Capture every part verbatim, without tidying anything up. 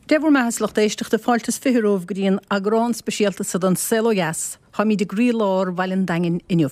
Dé bhur mbeatha, a lucht éisteachta fáilte is fiche romhaibh go dtí an eagrán speisialta seo den Saol Ó Dheas, táimid i gcroílár Bhaile an Daingin inniu.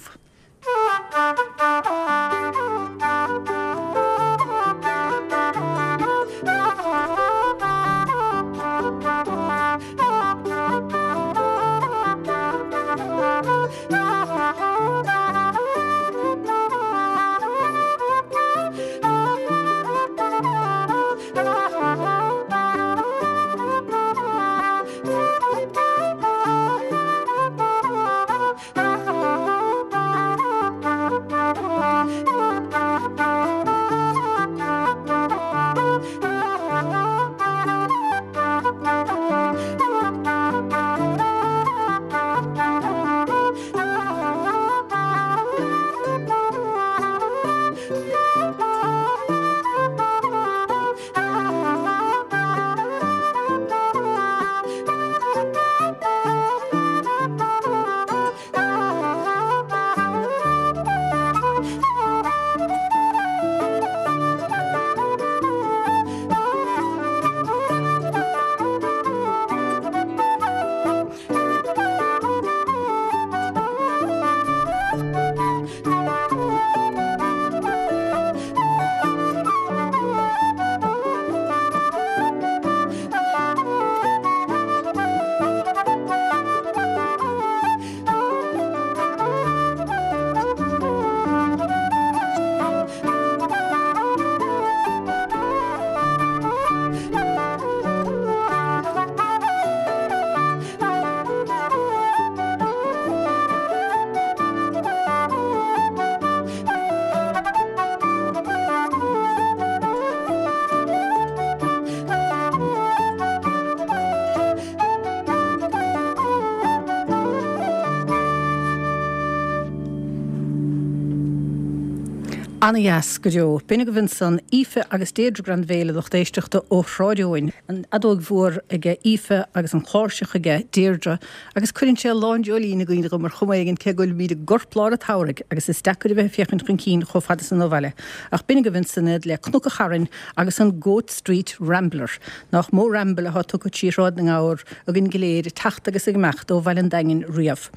Ana-dheas go deo. B'in agaibh ansan Aoife agus Deirdre Granville a lucht éisteachta ó Shráid Eoin. An fheadóg mhór aige Aoife agus an chláirseach aige Deirdre agus cuireann sé lán dreoilín i gcuimhne dhom ar chuma éigin cé go bhfuilimid i gcorplár an tsamhraidh agus is deacair a bheith ag féachaint chun cinn chomh fada san ó bhaile. Ach b'in agaibh ansan iad le Cnoc an Chairn agus an Goat Street Rambler. Nach mó ramble atá tugtha trí Shráid na nGabhar againn go léir ag teacht agus ag imeacht ó Bhaile an Daingin riamh.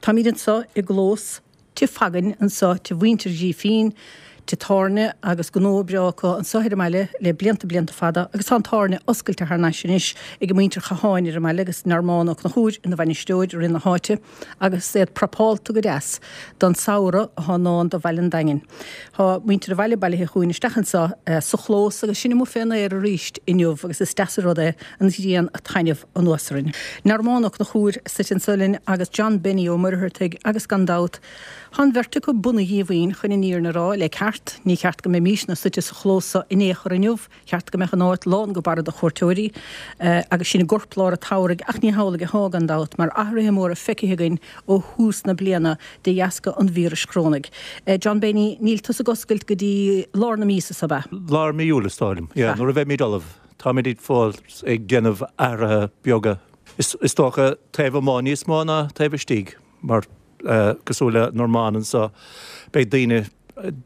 Táimid anseo i gclós Tigh Fagain anseo, tigh mhuintir Ghrífín, tigh tábhairne agus gnó breá acu anseo ar an mbaile le blianta blianta fada agus tá an tábhairne oscailte thar n-ais anois ag muintir Chatháin ar an mbaile agus Normán Ó Conchúir ina bhainisteoir i rith na háite agus iad prapálta go deas don samhradh atá i ndán do Bhaile an Daingin. Tá muintir an bhaile bailithe chugainn isteach anseo sa chlós agus sinn amuigh fén aer arís inniu agus is deas an rud é an ghrian ag taitneamh anuas orainn. Normán Ó Conchúir suite anseo linn agus John Benny Ó Muircheartaigh agus gan dabht Tá an bheirt acu bunaidh Dhíomhaoin chun an fhírinne a rá, le ceart. Ní ceart go mbeimisne suite sa chlós seo in aon chor inniu, cheart go mbeadh an áit lán go barra de chuairteoirí agus sinn i gcorplár an tsamhraidh ach ní hamhlaidh atá gan dabht mar athruithe móra feicthe againn ó thús na bliana de dheasca an víris chorónaigh. John Benny, níl tusa ag oscailt go dtí lár na míosa seo, ab ea? Lár mí Iúil is dóigh liom, yeah, nuair a bheimid ullamh. Táimid fós ag déanamh athruithe beaga. Is dócha taobh amuigh níos mó ná taobh istigh mar cosúil le Normán anseo, beidh daoine,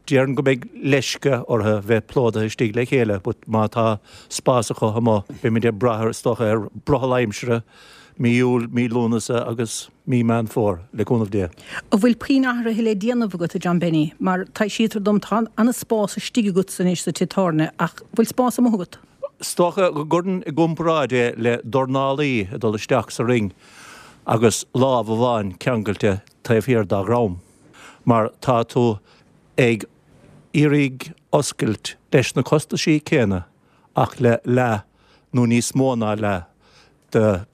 déarfainn go mbeidh leisce orthu bheith plódaithe istigh le chéile but má tá spás acu amuigh, beimid ag brath is dócha ar brothall aimsire, mí Iúil, mí Lúnasa agus mí Meán Fómhair, le cúnamh Dé. An bhfuil puinn athruithe le déanamh agat, a John Benny? Mar taibhsítear dom tá an-spás istigh agatsa anois sa tigh tábhairne ach bhfuil spás amuigh agat? Is dócha go gcuirfinn i gcomparáid é le dornálaí ag dul isteach sa ring agus lámh amháin ceangailte taobh thiar dá dhrom, mar tá tú ag iarraidh oscailt leis na costaisí céanna ach le leath nó níos mó ná leath de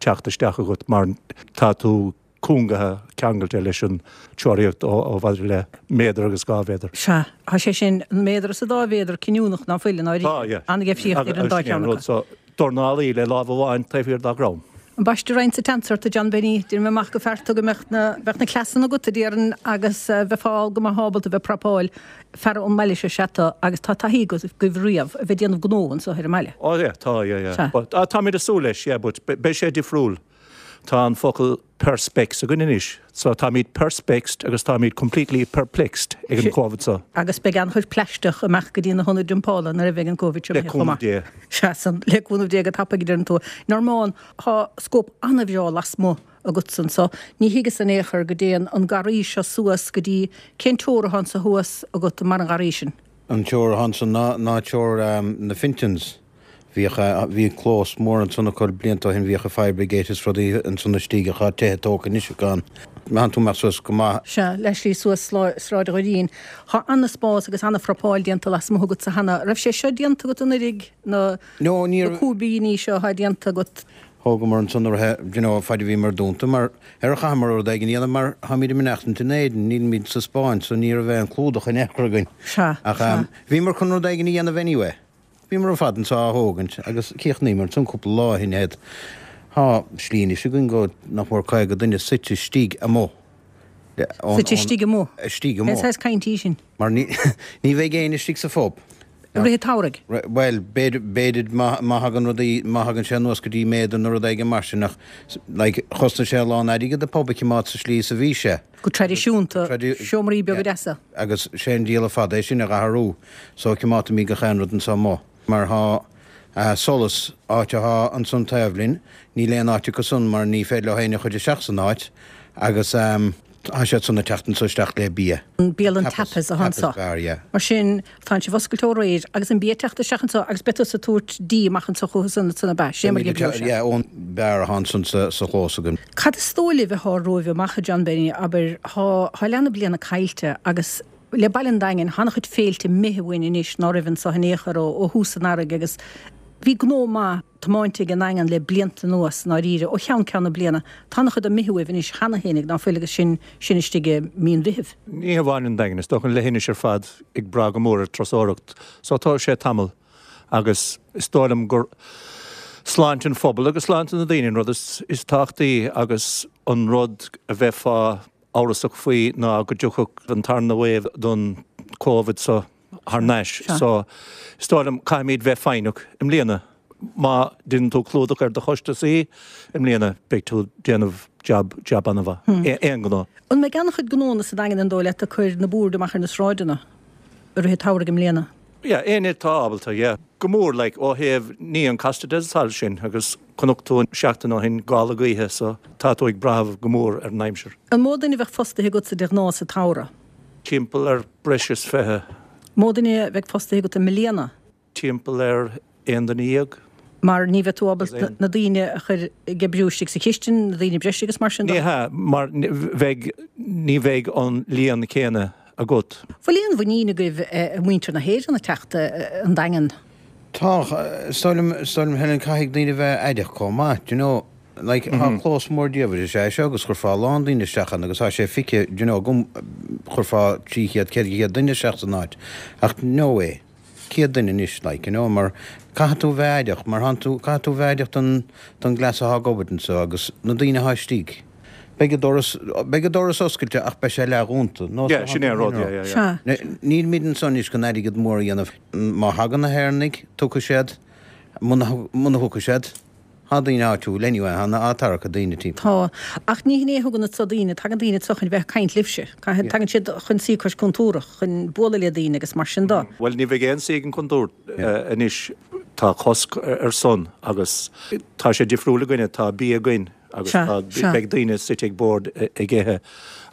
teacht isteach agat mar tá tú cúngaithe, ceangailte leis an teoraíocht ó mhaidir le méadar agus dhá mhéadar. Sea, tá sé sin, an méadar is an dá mhéadar cinniúnach ná fuil, i ndáiríre. Tá, yeah. An-dheifríocht idir an dá cheann acu. Dornálaí le lámh amháin taobh thiar dá dhrom. Ambaiste roinnt sa tseans ort, a John Benny. Déanaim amach go fearta go mbeadh na, bheadh na cleasanna agat, a déarfainn, agus bheifeá go maith ábalta bheith ag prapáil feara an mbaile seo sea tá agus tá taithí agaibh riamh a bheith ag déanamh gnó anseo ar an mbaile. Oh yeah, tá, yeah, yeah. But, ah, táimid ag súil leis, yeah, but beidh sé difriúil. Tá an focal perspex againn anois, so táimid perspexed agus táimid completely perplexed ag an Covid so. Agus beidh an-chuid plaisteach amach go dtí na hionaid dumpála nuair a bheidh an Covid seo Le cúnamh Dé. Sea, san, le cúnamh Dé go tapaidh a deireann tú. Normán, tá scóip an-bhreá lasmuigh agatsa anso. Ní thuigeas in aon chor go dtéann an garraí seo suas go dtí, cén teora atá anso thuas agat mar an gharraí sin? An teora atá ansan ná, ná teora na Fintons. Bhíodh, bhí clós mór ansan acu blianta ó shin, bhíodh an fire brigade is rudaí ansan istigh ach tá tithe tógtha anois acu ann. Má thánn tú amach suas go maith. Sea, le slí suas Sráid Dhoirín. Tá an-spás agus an-phrapáil déanta lasmuigh agatsa cheana. Raibh sé seo déanta agat anuraidh, na, No, ní na cúibíní seo atá déanta agat? Thógamar ansan nuair a, you know, faid a bhíomar dúnta mar ar chaitheamar rud éigin a dhéanamh mar táimid ag mainneachtaint in Éirinn, nílimid sa Spáinn so ní raibh aon chlúdach in aon chor againn. Sea, Ach sea. bhíomar chun rud éigin a dhéanamh anyway. Bhíomar ar fad anso á thógaint agus chríochnaíomar ansan cúpla lá ó shin iad. Tá slí anois againn go nach mór caoga duine suite istigh amuigh. Suite istigh amuigh? Istigh amuigh. Cén saghas caint í sin? Mar ní ní bheidh éinne istigh sa phub. I rith an tsamhraidh? Bhuel, b'fhéidir, b'fhéidir má má thagann rudaí, má thagann sé anuas go dtí méadar nó rud éigin mar sin ach like chosnaigh sé a lán airgead an pub a choimeád sa slí is a bhí sé. Go traidisiúnta, seomraí beaga deasa. Agus sé an díol ar fad é sin a dh'athrú so coimeádfaimid gach aon rud anso amuigh. Mar thá solas, áit athá ansan taobh linn, níl aon áit acu san mar ní féidir leo éinne a chur isteach san áit agus tá siad san ag teacht anso isteach le bia. An bialann tapas athá anso. Tapas bar, yeah. Mar sin, tánn sibh oscailte ó aréir agus an bia ag teacht isteach anso agus beidh tusa ag tabhairt dí amach anso chucu san ansan ab ea? Sé mar a oibreoidh sé. Yeah, ón beár athá ansan sa chlós againn. Cad is dóigh libh athá romhaibh amach, a John Benny, abair, thá, thá leath na bliana caillte agus le baile an Daingin, thá an-chuid féilte imithe uainn anois ná raibh anso in aon chor ó, ó thús an earraigh agus bhí gnó maith tiomáinte ag an nDaingean le blianta anuas i ndáiríre, ó cheann ceann na bliana. Tá an-chuid imithe uaibh anois cheana fhéinig, ná fuil, agus sinn, sinn istigh i mí an Mheithimh. Ní hamháin an Daingean, is dócha an leithinis ar fad ag brath go mór ar turasóireacht so tá sé tamall agus is dóigh liom gur sláinte an phobail agus sláinte na daoine an rud is, is tábhachtaí agus an rud a bheifeá amhrasach faoi ná go dtiocfadh an tarna wave don Covid so thar n-ais. So is dóigh liom caithfimid bheith foighneach i mbliana. Má deineann tú clúdach ar do chostasaí i mbliana beidh tú déanamh jab, jab an-mhaith. Aon ghnó. An mbeidh an-chuid gnónna sa Daingean an dóigh leat ag cur na boird amach ar na sráideanna i rith an tsamhraidh i mbliana? Yeah, éinne atá ábalta, yeah. Go mór, like, ó thaobh ní an Costa del Sol sin agus chonaic tú an seachtain ó shin gála gaoithe so tá tú ag brath go mór ar an aimsir. An mó duine a bheadh fostaithe agatsa de ghnáth sa tsamhradh? Timpeall ar breis is fiche. Mó duine a bheidh fostaithe agat i mbliana? Timpeall ar aon duine dhéag. Mar ní bheidh tú ábalta na daoine a chur ag oibriú istigh sa chistin, na daoine breise agus mar sin de? Ní hea, mar bheidh, ní bheidh an líon céanna agat. Bhfuil aon mhuinín agaibh i muintir na hÉireann ag teacht an Daingean? Tá, is dóigh liom, is dóigh liom Helen, caithfidh daoine a bheith aireach chomh maith, do you know, like tá clós mór diamhair is ea é seo agus chuirfeá a lán daoine isteach ann agus tá sé feicthe, do you know, agam, chuirfeá trí chéad, ceithre chéad duine isteach san áit ach no way. céad duine anois, like, you know, mar caithfidh tú a bheith aireach, mar thánn tú, caithfidh tú a bheith aireach don, don gcleas athá ag obair anso agus na daoine athá istigh. Beidh an doras, beidh an doras oscailte ach beidh sé leathdhúnta, nó Yeah, sin é an rud, yeah, yeah, yeah. Sea. Nílimid anso anois chun airgead mór a dhéanamh. Má thagann na hÉireannaigh, tiocfaidh siad, muna, muna thiocfaidh siad, Tá daoine áitiúil anyway, tá na tarrac daoine timpeall. Tá. Ach ní hin é a thugann anso daoine, tagann daoine anso chun bheith ag caint libhse. Tagann siad chun suí cois cúntúrach, chun bualadh le daoine agus mar sin de. Bhuel, ní bheidh aon suí ag an gcúntúr anois. Tá cosc ar san agus tá sé difriúil againne, tá bia againn agus tá, beidh daoine suite ag bord ag ithe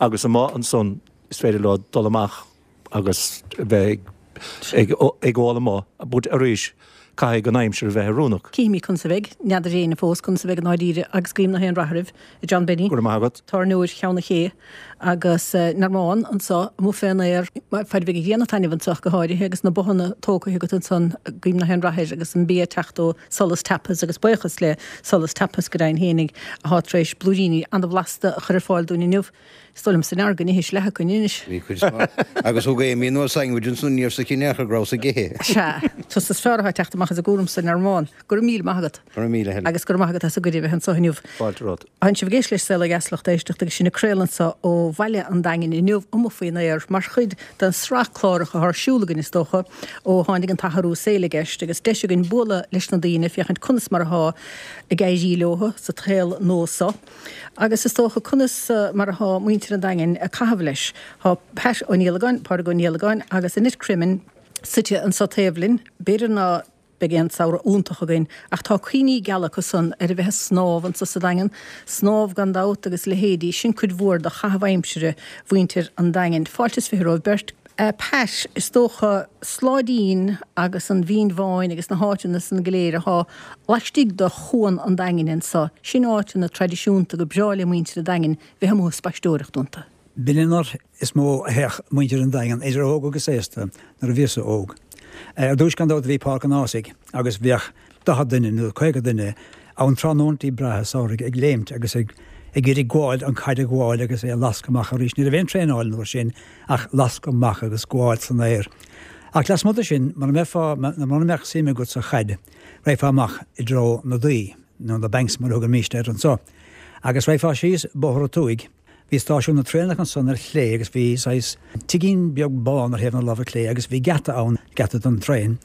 agus amuigh ansan is féidir leo dul amach agus bheith ag ól amuigh but arís caithfidh an aimsir a bheith oiriúnach. Cífimid conas a bheidh, n'fheadar éinne fós conas a bheidh i ndáiríre agus guím nach aon rath oraibh, a John Benny. Go raibh maith agat. Tábhairneoir Cheann an Ché agus Normán anso amuigh fén aer, fad a bheidh an ghrian ag taitneamh anso go háirithe agus na bothanna tógtha agat ansan, guím nach aon rath air agus an bia ag teacht ó Solas Tapas agus buíochas le Solas Tapas go deimhin fhéinig athá tar éis blúiríní an-bhlasta a chur ar fáil dúinn inniu. Is dóigh liomsa nár go n-ithis leath acu anois. Bhí cuid mhaith. Agus thug Amy anuas sandwich ansan ní raibh 's aici in aon chor go rabhas ag ithe. Sea, tusa is fearr atá ag teacht amach amach as an gcúram san ar an Go raibh míle maith agat. Go raibh míle Helen. Agus go raibh maith agat as an gcuireadh a bheith anseo inniu. Fáilte romhat. Tánn sibh ag éisteacht le Saol Ó Dheas lucht éisteachta agus sinn ag craoladh anseo ó bhaile an Daingin inniu amuigh faoin aer mar chuid den sraith cláracha atá ar siúl againn is dócha ó tháinig an t-athrú saoil i gceist agus deis againn bualadh leis na daoine féachaint conas mar atá ag éirí leo sa tsaol nua seo. Agus is dócha conas mar atá muintir an Daingin ag caitheamh leis. Tá Pat Ó Niallagáin, Pádraig Ó Niallagáin agus Annette Cremin suite anseo taobh linn, b'fhéidir ná beidh aon samhradh iontach againn, ach tá cuimhní geala acu san ar a bheith ag snámh anseo sa Daingean, snámh gan dabht agus leithéidí, sin cuid mhór de chaitheamh aimsire mhuintir an Daingin. Fáilte is fiche romhaibh beirt. Pat, is dócha Sláidín agus an Mhín Bháin agus na háiteanna san go léir atá laistigh de chuan an Daingin anseo, sin áiteanna traidisiúnta go breá le muintir an Daingin bheith amuigh ag spaisteoireacht iontu. B'in an áit is mó a théadh muintir an Daingin, idir óg agus aosta, nuair a bhíos-sa óg. Ar dtús gan dabht bhí Páirc an Ághasaigh agus bheadh daichead duine nó caoga duine ann tráthnóntaí breátha samhraidh ag léimt agus ag ag iarraidh gabháil an chaid a ghabháil agus é a lascadh amach arís. Ní raibh aon traenáil an uair sin ach lascadh amach agus gabháil san aer. Ach lasmuigh de sin, mura mbeifeá, mura mbeadh suim agat sa chaid, raghfá amach i dtreo na Daoi, nó na Banks mar a thugaimíst air anso, agus raghfá síos Bóthar an Tuaigh. Bhí stáisiún na traenach ansan ar chlé agus bhí saghas tigín beag bán ar thaobh na láimhe clé agus bhí geata ann, geata don traein,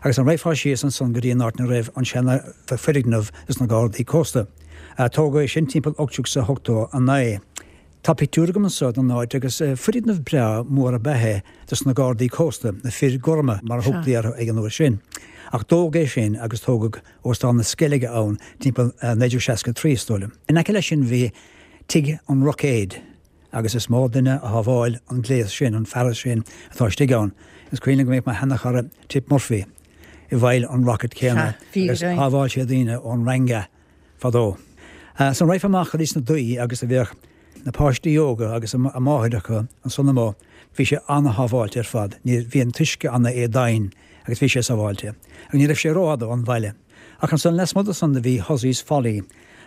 agus an raghfá síos ansan go dtí an áit 'na raibh an seana foirgneamh dos na Gardaí Cósta. Tógadh é sin timpeall ocht déag ochtó a naoi. Tá pictiúr agam anso den áit agus foirgneamh breá mór ab ea é dos na Gardaí Cósta, na fir gorma mar a thugtaí orthu ag an uair sin. Ach dódh é sin agus tógadh Óstán na Sceilge ann timpeall naoi déag seasca a trí is dóigh liom. In aice leis sin bhí Tigh an Roicéid agus is mó duine a shábháil an gléas sin, an fearas sin atá istigh ann. Is cuimhin liom go mbíodh mo sheanachara Tip Murphy i bhfeighil an rocket céanna agus shábháil sé daoine ón Ranga fadó. San raghfá amach go dtí sna Daoi agus a bheadh na páistí óga agus a máithreacha ansan amuigh, bhí sé ana-shábháilte ar fad. Ní, bhí an t-uisce ana-éadomhain agus bhí sé sábháilte. Agus ní raibh sé rófhada ón bhaile. Ach ansan lasmuigh de san do bhí Hussey's Folly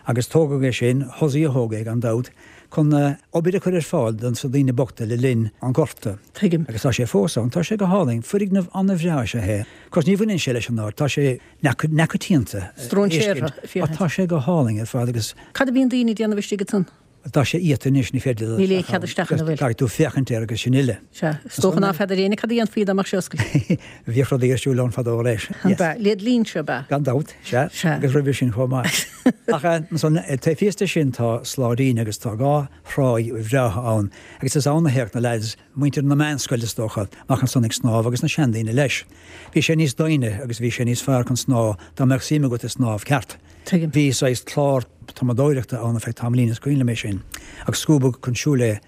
agus tógadh é sin, Hussey a thóg é gan dabht, chun obair a chur ar fáil do na daoine bochta le linn an Ghorta. Tuigim. Agus tá sé fós ann. Tá sé go hálainn. Foirgneamh an-bhreá is ea é. Of course ní bhaineann sé leis an áit. Tá sé neamhchoitianta. Stróinséartha, féachaint. Ach tá sé go hálainn ar fad agus. Cad a bhíonn daoine ag déanamh istigh ansan? Tá sé iata anois, ní féidir Níl aon chead isteach ann, an bhfuil? Caithfidh tú féachaint air agus sin uile. Sea. Is dócha ná feadar éinne cad a dhéanfaí dá mbeadh sé oscailte. Bhíodh rudaí ar siúl ann fadó leis. An b'ea? Le dlínse, ab ea? Gan dabht, sea. Sea. Agus roimhe sin chomh maith. Ach ansan, taobh thíos de sin tá Sláidín agus tá dhá thráigh bhreátha ann agus is ann a théadh na leaids, muintir na meánscoile is dócha, amach ansan ag snámh agus na seandaoine leis. Bhí sé níos doimhne agus bhí sé níos fearr chun snámh dá mbeadh suim agat i snámh ceart. Tuigim. Bhí saghas clár tumadóireachta ann ar feadh tamaillín, is cuimhin liom é sin, ach scuabadh chun siúil é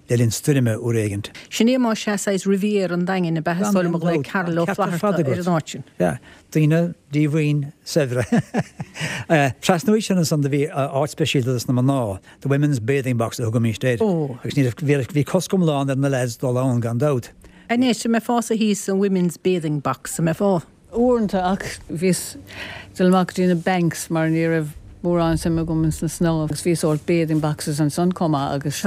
le linn stoirme uair éigint. Sin é más ea saghas Riviera an Daingin, ab ea? Is dóigh liom a ghlaoigh Carol Ó Flatharta ar an áit sin. Sea, daoine díomhaoin saibhre. Trasna uaidh sin ansan do bhí áit speisialta dos na mná, the women's bathing box a thugaimíst air. Ó. Agus ní raibh, bhí cosc iomlán ar na leaids dul ann gan dabht. Anois, an mbeifeása thíos san women's bathing box, an mbeifeá? Uaireanta, ach bhíos ag dul amach go dtí na banks mar ní raibh mórán suim agam ins na snámh agus bhí sórt bathing boxes ansan chomh maith agus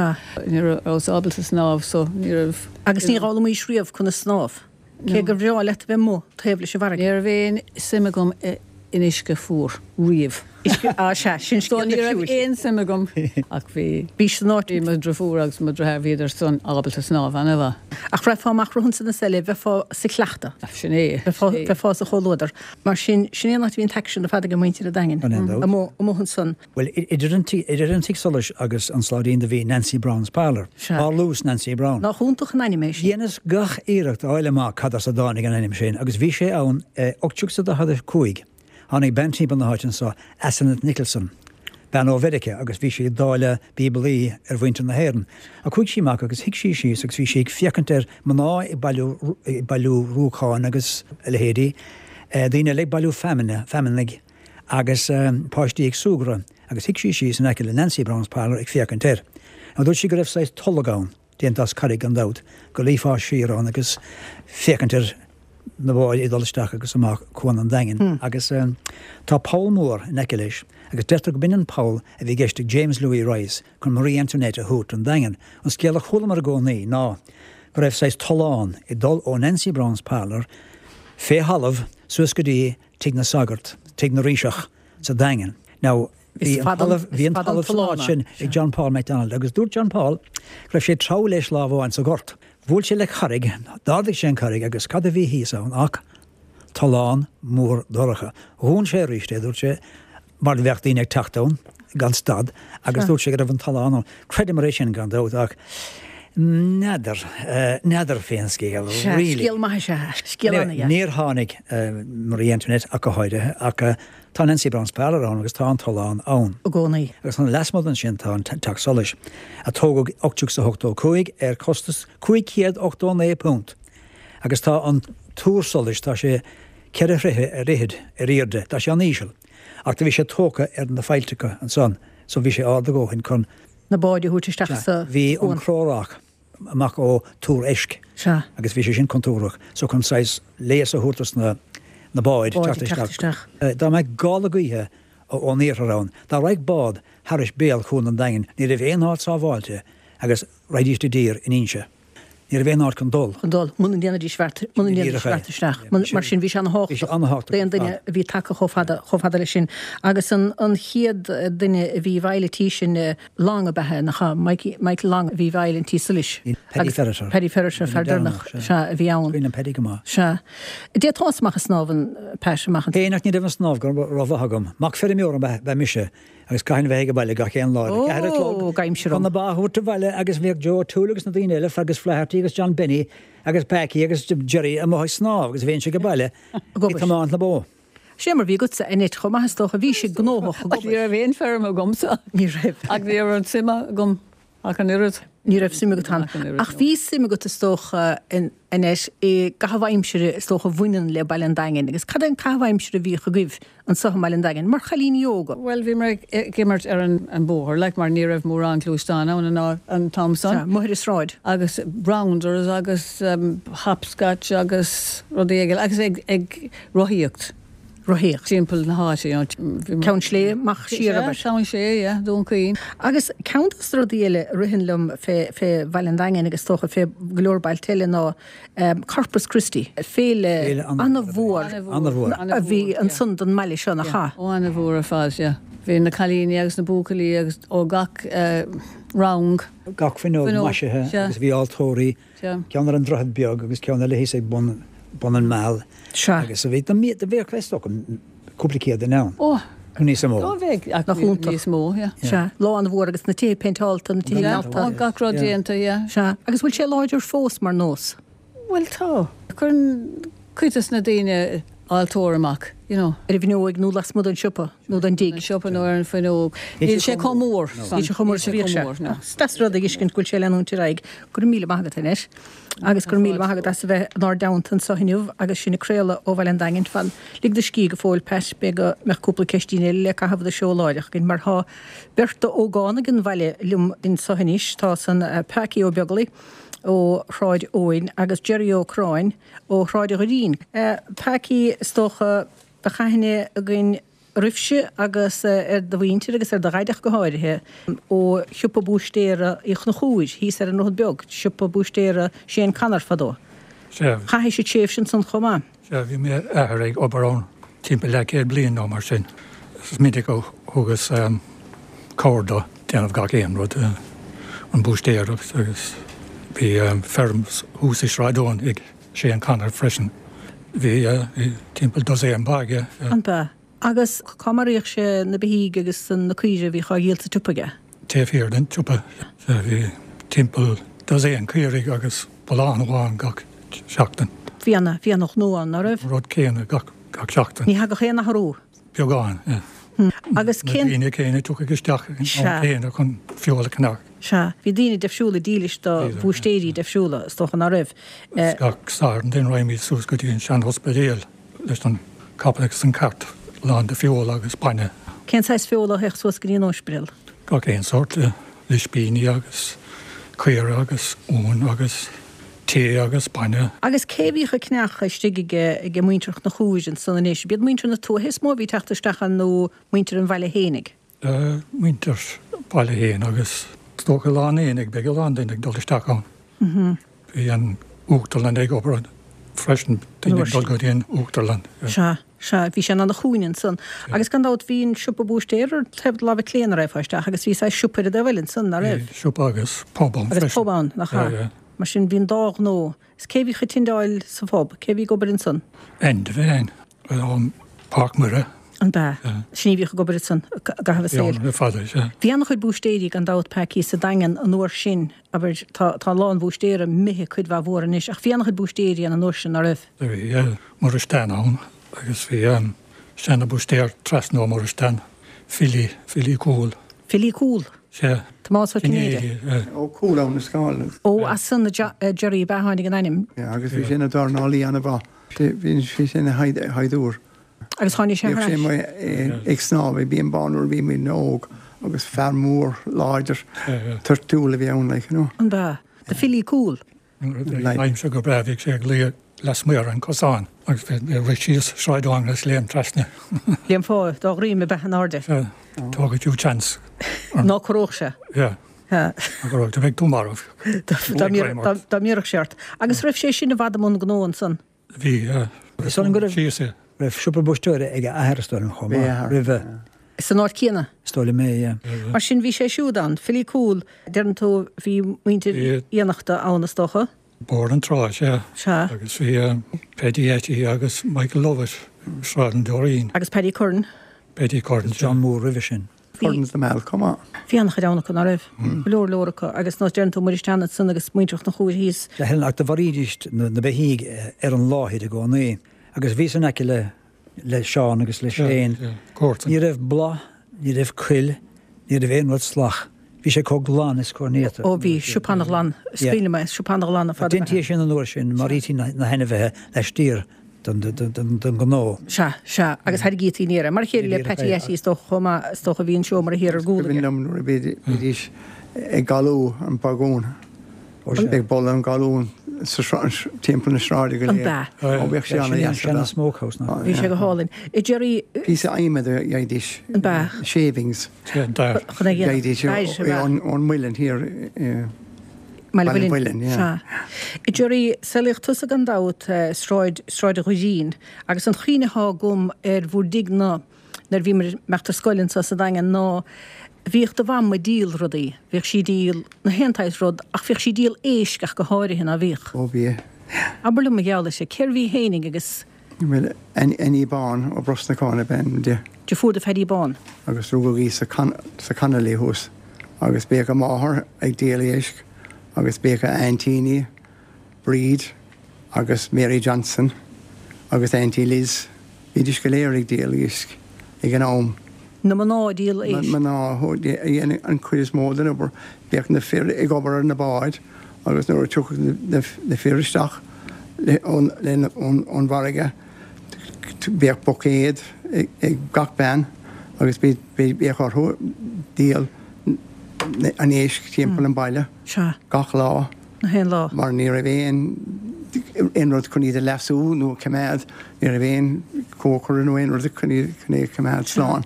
ní rabhas ábalta snámh so ní raibh. Agus níor fhoghlaimís riamh conas snámh, cé gur bhreá leat a bheith amuigh taobh leis an bhfarraige. Ní raibh aon suim agam in uisce fuar riamh. Uisce, á sea, sin So scéal ní raibh difriúil. aon suim agam ach bhí. Bhí san áit. Bhí mo dhriofúr agus mo dhriotháir, bhíodar san ábalta snámh ana-mhaith. Ach raghfá amach romhatsa na seile, bheifeá sa chleachtadh. Sin é. Bheifeá, bheifeá sa chomhluadar. Mar sin, sin é an áit a bhí an t-aicsean ar fad ag muintir an Daingin. Gan aon dabht. Amuigh, amuigh ansan. Bhuel, idir an tí, idir an Tigh Solais agus an Sláidín do bhí Nancy Brown's Parlour. Sea. Parlús Nancy Brown. Nach iontach an ainm é sin. Dheineas gach iarracht a fháil amach cad as a dtáinig an ainm sin agus bhí sé ann i ocht déag is a daichead a cúig. Tháinig bean timpeall na háite anso, Asenath Nicholson, bean ó Mheiriceá, agus bhí sí ag dáileadh Bíoblaí ar mhuintir na hÉireann. Ach chuaigh sí amach agus shuigh sí síos agus bhí sí ag féachaint ar mná ag bailiú, ag bailiú ruacáin agus a leithéidí, daoine eile ag bailiú feamainne, feamainne agus páistí ag súgradh agus shuigh sí síos in aice le Nancy Brown's Parlour ag féachaint air. Now dúirt sí go raibh saghas tolg ann, déanta as carraig gan dabht, go luífeá siar ann agus féachaint ar na báid ag dul isteach agus amach Cuan an Daingin. Agus tá poll mór in aice leis agus deirtear go b'in an poll a bhí i gceist ag James Louis Rice chun Marie Antoinette a thabhairt don Daingean. An scéal a chualamar i gcónaí ná go raibh saghas tollán ag dul ó Nancy Brown's Parlour fé thalamh suas go dtí Tigh na Sagart, Tigh na Ríseach sa Daingean. Now, bhí an talamh bhí an talamh san áit sin ag John Paul McDonald agus dúirt John Paul go raibh sé ag treabhadh leis lá amháin sa ghort. Bhuail sé le carraig, d'ardaigh sé an carraig agus cad a bhí thíos ann ach tollán mór dorcha. Dhún sé arís é, dúirt sé, mar bheadh daoine ag teacht ann gan stad agus dúirt sé go raibh an tollán ann. Creidim é sin gan dabht ach n'fheadar, n'fheadar fén scéal, really. Scéal maith is ea, scéal ana-dheas. Níor tháinig Marie Antoinette ach go háirithe ach tá Nancy Brown's Parlour ann agus tá an tollán ann. I gcónaí. Agus an lasmuigh ansin tá an Teach Solais, a tógadh ocht déag is a hochtó cúig ar costas cúig chéad ochtó naoi punt. Agus tá an túr solais, tá sé ceithre throithe ar fhichead ar airde, tá sé an-íseal. Ach do bhí sé tógtha ar na faillteacha ansan, so bhí sé ard a dhóthain chun. na báid a thabhairt isteach sa Bhí an cró-roc amach ó Túr Eisc. Sea. Agus bhí sé sin contúirteach, so chun saghas léas a thabhairt dos na na báid teacht isteach. Dá mbeadh gála gaoithe ón iarthar ann, dá raghadh bád thairis béal Chuan an Daingin, ní raibh aon áit sábháilte agus raghaidís i dtír in Inse. Ní raibh aon áit chun dul. Chun dul, muna ndéanfaidís beart, muna ndéanfaidís beart isteach. Mar sin, bhí sé ana-thábhachtach d'aon duine a bhí tagtha chomh fada, chomh fada leis sin. Agus an, an chéad duine a bhí i bhfeighil an tí sin, Long ab ea é, nach ea? Mikey, Michael Long a bhí i bhfeighil an tí solais. Paddy Ferriter. Paddy Ferriter, fear deireanach, sea, a bhí ann. Cuimhin liom Paddy go maith. Sea. D'fhéadfá amach ag snámh an, Pat, amach an. Féin ach ní raibh an snámh go rómhaith agam. Mac feirmeora ab ea mise. Agus chaithfinn a bheith ag baile gach aon lá ar a ceathair a chlog chun na ba a thabhairt abhaile agus bhíodh Joe O'Toole agus na daoine eile, Fergus Flaherty agus John Benny agus Packie agus Jerry amuigh ag snámh agus bheinnse ag baile ag tiomáint na bó. Sé mar bhí agatsa Annette chomh maith is dócha, bhí sé gnóthach ag obair. Ní raibh aon feirm agamsa. Ní raibh. Ach ní raibh an suim agam ach an oiread. Ní raibh suim agat ann. Ach bhí suim agat is dócha Annette i gcaitheamh aimsire is dócha a bhaineann le Baile an Daingin agus cad é an caitheamh aimsire a bhíodh agaibh anseo i mBaile an Daingin mar chailíní óga? Bhuel bhí mé ag imirt ar an bóthar like mar ní raibh mórán gluaisteán ann an an t-am san. Sea, amuigh ar an sráid. Agus rounders agus hopscotch agus rudaí eile agus ag ag rothaíocht. Rothaíocht. Timpeall na háite, you know. Bhí Ceann Sléibhe, amach siar, Sea, abair. Ceann Sléibhe, yeah, Dún Chaoin. Agus ceann dos na rudaí eile a ritheann liom fé fé Bhaile an Daingin agus is dócha fé go leor bailte eile ná Corpus Christi, féile Féile an-mhór an-mhór. a bhí ansan don mbaile seo, nach ea? Ó, an-mhór ar fad, yeah. Bhí na cailíní agus na buachaillí agus ó gach rang. Gach fuinneog Fuinneog, maisithe sea. agus bhí altóirí, Sea. ceann ar an Droichead Beag agus ceann eile thíos ag bun bun an Meal. Sea. Agus a bhí, do bheadh is dócha cúpla céad duine ann. Ó, Nó níos mó. Do bheadh, ach Nach iontach. níos mó, yeah. Sea, lá an-mhór agus na tithe péinteálta, na tithe Yeah, geallta. ó, gach rud déanta, yeah. Sea, agus bhfuil sé láidir fós mar nós? Bhuel, tá. Cuireann cuid de na daoine altóir amach, you know. Ar an bhfuinneoig nó lasmuigh den siopa nó den dtigh. An siopa nó ar an bhfuinneog. Níl sé chomh mór. Níl sé chomh mór is a bhíodh sé. Is deas rud a fheiscint go bhfuil sé ag leanúint ar aghaidh. Go raibh míle maith agat, Annette. Agus go raibh míle maith agat as a bheith inár dteannta anseo inniu agus sinn ag craoladh ó Bhaile an Daingin. Fan, lig do scíth go fóill, Pat, b'fhéidir go mbeadh cúpla ceistín eile le caitheamh de seó láithreach againn mar tá beirt d'ógánaigh an bhaile liom anseo anois. Tá san Packie Ó Beaglaoich ó Shráid Eoin agus Jerry Ó Curráin ó Shráid an Dhoirín. Packie, is dócha, bheadh aithne againn oraibhse agus ar do mhuintir agus ar do dhaideo go háirithe, ó shiopa búistéara Uí Chonchúir thíos ar an nDroichead Beag, siopa búistéara Shane Connor fadó. Sea. Chaith sibh tréimhse ansan chomh maith. Sea, bhí m'athair ag obair ann timpeall leathchéad bliain nó mar sin. Is minic a thugas cabhair dó déanamh gach aon rud, an búistéireacht agus bhí feirm thuas i Sráid Eoin ag Shane Connor freisin. Bhí timpeall dosaen ba aige. An ba? Agus cá maraíodh sé na beithígh agus na caoire a bhíodh á dhíol sa tsiopa aige? Taobh thiar den tsiopa. Bhí timpeall dosaen caoirigh agus bullán amháin gach seachtain. Bhí ana, bhí ana ghnó ann, ná raibh? An rud céanna gach, gach seachtain. Ní thagadh aon athrú? Beagán, yeah. Agus cén. Na daoine céanna tiocfaidh isteach ag an am céanna chun feoil a cheannach. Sea. Bhí daoine deifriúla dílis do bhúistéirí deifriúla, is dócha, ná raibh? Gach Satharn then raghaimid suas go dtí an sean-ospidéal leis an capall agus an cart lán de feoil agus bainne. Cén saghas feola a théadh suas go dtí an ospidéal? Gach aon sórt, ispíní agus caora agus uan agus tae agus bainne. Agus cé a bhíodh ag ceannach istigh ag muintir Chonchúir ansan anois? B'iad muintir na tuaithe is mó a bhí ag teacht isteach ann nó muintir an bhaile fhéinig? Muintir baile fhéin agus is dócha lá an aonaigh, beidh a lán daoine ag dul isteach ann. Bhí an uachtarlann ag obair freisin, daoine ag dul go dtí an uachtarlann. Sea. Sea, bhí sé in ana chúinne ansan. Agus gan dabht bhí an siopa búistéir ar taobh do láimhe clé nuair a raghfá isteach agus bhí saghas siopa ar an dtaobh eile ansan, ná raibh? Bhí siopa agus pub ann freisin. Agus pub ann, nach ea? Mar sin bhí an dá ghnó. Is cé bhíodh ag tindeáil sa phub? Cé bhí ag obair ansan? Enda féin, ón Páirc Mhuire. An b'ea? Sin í a bhíodh ag obair ansan i gcaitheamh a saoil. Le fada, sea. Bhí an-chuid búistéirí gan dabht Packie sa Daingean an uair sin, abair, tá tá a lán bhúistéara imithe cuid mhaith mhór anois ach bhí an-chuid búistéirí ann an uair sin, ná raibh? Bhí, yeah. Muiris Dan ann agus bhí seana-bhúistéir trasna ó Muiris Dan, Philly, Philly Cool. Philly Cool? Sea. Tomás Ó Cinnéide. Ó Cúl Abha na Scáil. Ó, as san a Jerry ab ea a tháinig an ainm. Yeah, agus bhí sé ina dhornálaí an-mhaith. Bhí sé ina shaighdiúir. Agus tháinig sé thar ais. Bhíodh sé ag snámh i bPian Bán nuair a bhí muid óg agus fear mór láidir toirtiúil a bhí ann, like, you know. An b'ea? The Philly Cool. Nuair a bhí aimsir go breá bhíodh sé ag luí lasmuigh ar an cosán agus bhí rith síos Sráid Mhanga is léim trasna. Léim fá dá dhroim ab ea in airde. Sea. Tógfaidh tú chance. Ná corródh sé. Yeah. Yeah. Ná corródh, do bheadh tú marbh. Dá mbéarfadh sé ort. Agus raibh sé sin i bhfad i mbun gnó ansan? Bhí, yeah. Is dóigh liom go raibh, Síos é. raibh siopa búistéara ag a athair is dóigh liom chomh maith roimhe. San áit chéanna? Is dóigh liom é, yeah. Mar sin bhí sé siúd ann. Philly Cool, deireann tú, bhí muintir Fhiannachta ann is dócha? Bóthar na Trá, sea. Sea. Agus bhí Paddy Atty agus Michael Lovett, Sráid an Doirín. Agus Paddy Curran. Paddy Curran, sea. John Moore roimhe sin. Curran's the Mall, chomh maith. Bhí an-chuid ann acu, ná raibh? Go leor leor acu. Agus nós deireann tú Muiris Dan ansan agus muintir Chonchúir thíos. Sea, Helen, ach do mharaídís na beithígh ar an láthair i gcónaí. Agus bhíos in aice le le Seán agus le Shane. Ní raibh bláth, ní raibh cuil, ní raibh aon rud salach. Bhí sé chomh glan is chomh néata. Ó bhí, siopa an-ghlan, is cuimhin liom é, siopa an-ghlan ar fad. Deintí é sin an uair sin, maraítí na hainmhithe laistiar den ghnó. Sea, sea, agus thairgítí aniar é. Mar a chéile le Patty Atty is dócha chomh maith, is dócha a bhí an seomra thiar ar gcúl aige. Is cuimhin liom nuair a bhídís ag galú an bagún. Ag boladh an galún timpeall na sráide go léir. An b'ea? Ó bhíodh sé an-deas. Sin an smokehouse ná. Bhí sé go hálainn. A Jerry. Píosa adhmaid a gheibhidís. An b'ea? Shavings. An dair. Chun é a dhéanamh. Gheibhidís ón muileann thiar i mBaile Baile Mhuilinn. Sea. A Jerry, saolaíodh tusa gan dabht Sráid Sráid an Dhoirín agus an chuimhne atá agam ar bhur dtigh ná nuair a bhíomar ag imeacht ar scoil anseo sa Daingean ná Bhíodh do mham ag díol rudaí, bhíodh sí ag díol na haon tsaghas rud ach bhíodh sí ag díol éisc ach go háirithe, ná bhíodh? Ó bhíodh. Abair liom mar gheall uirthi, cérbh í fhéinig agus. Bhuel, Annie Bán ó Brosnacán ab ainm di. Deirfiúr do Phaddy Bán. Agus rugadh í sa sa Connolly thuas agus bhíodh a máthair ag díol éisc agus bhíodh a aintíní, Bríd agus Mary Johnson agus Auntie Liz, bhídís go léir ag díol éisc ag an am. Na mná ag díol éisc. Na mná a dhéanadh an chuid is mó den obair. Bhíodh na fir ag obair ar na báid agus nuair a tiocfadh na fir isteach ón bhfarraige bhíodh buicéad ag gach bean agus bhíodh orthu díol an éisc timpeall an bhaile gach lá. Na haon lá. Mar ní raibh aon aon rud chun iad a leasú nó a choimeád, ní raibh aon chócaire nó aon rud chun iad chun é a choimeád slán.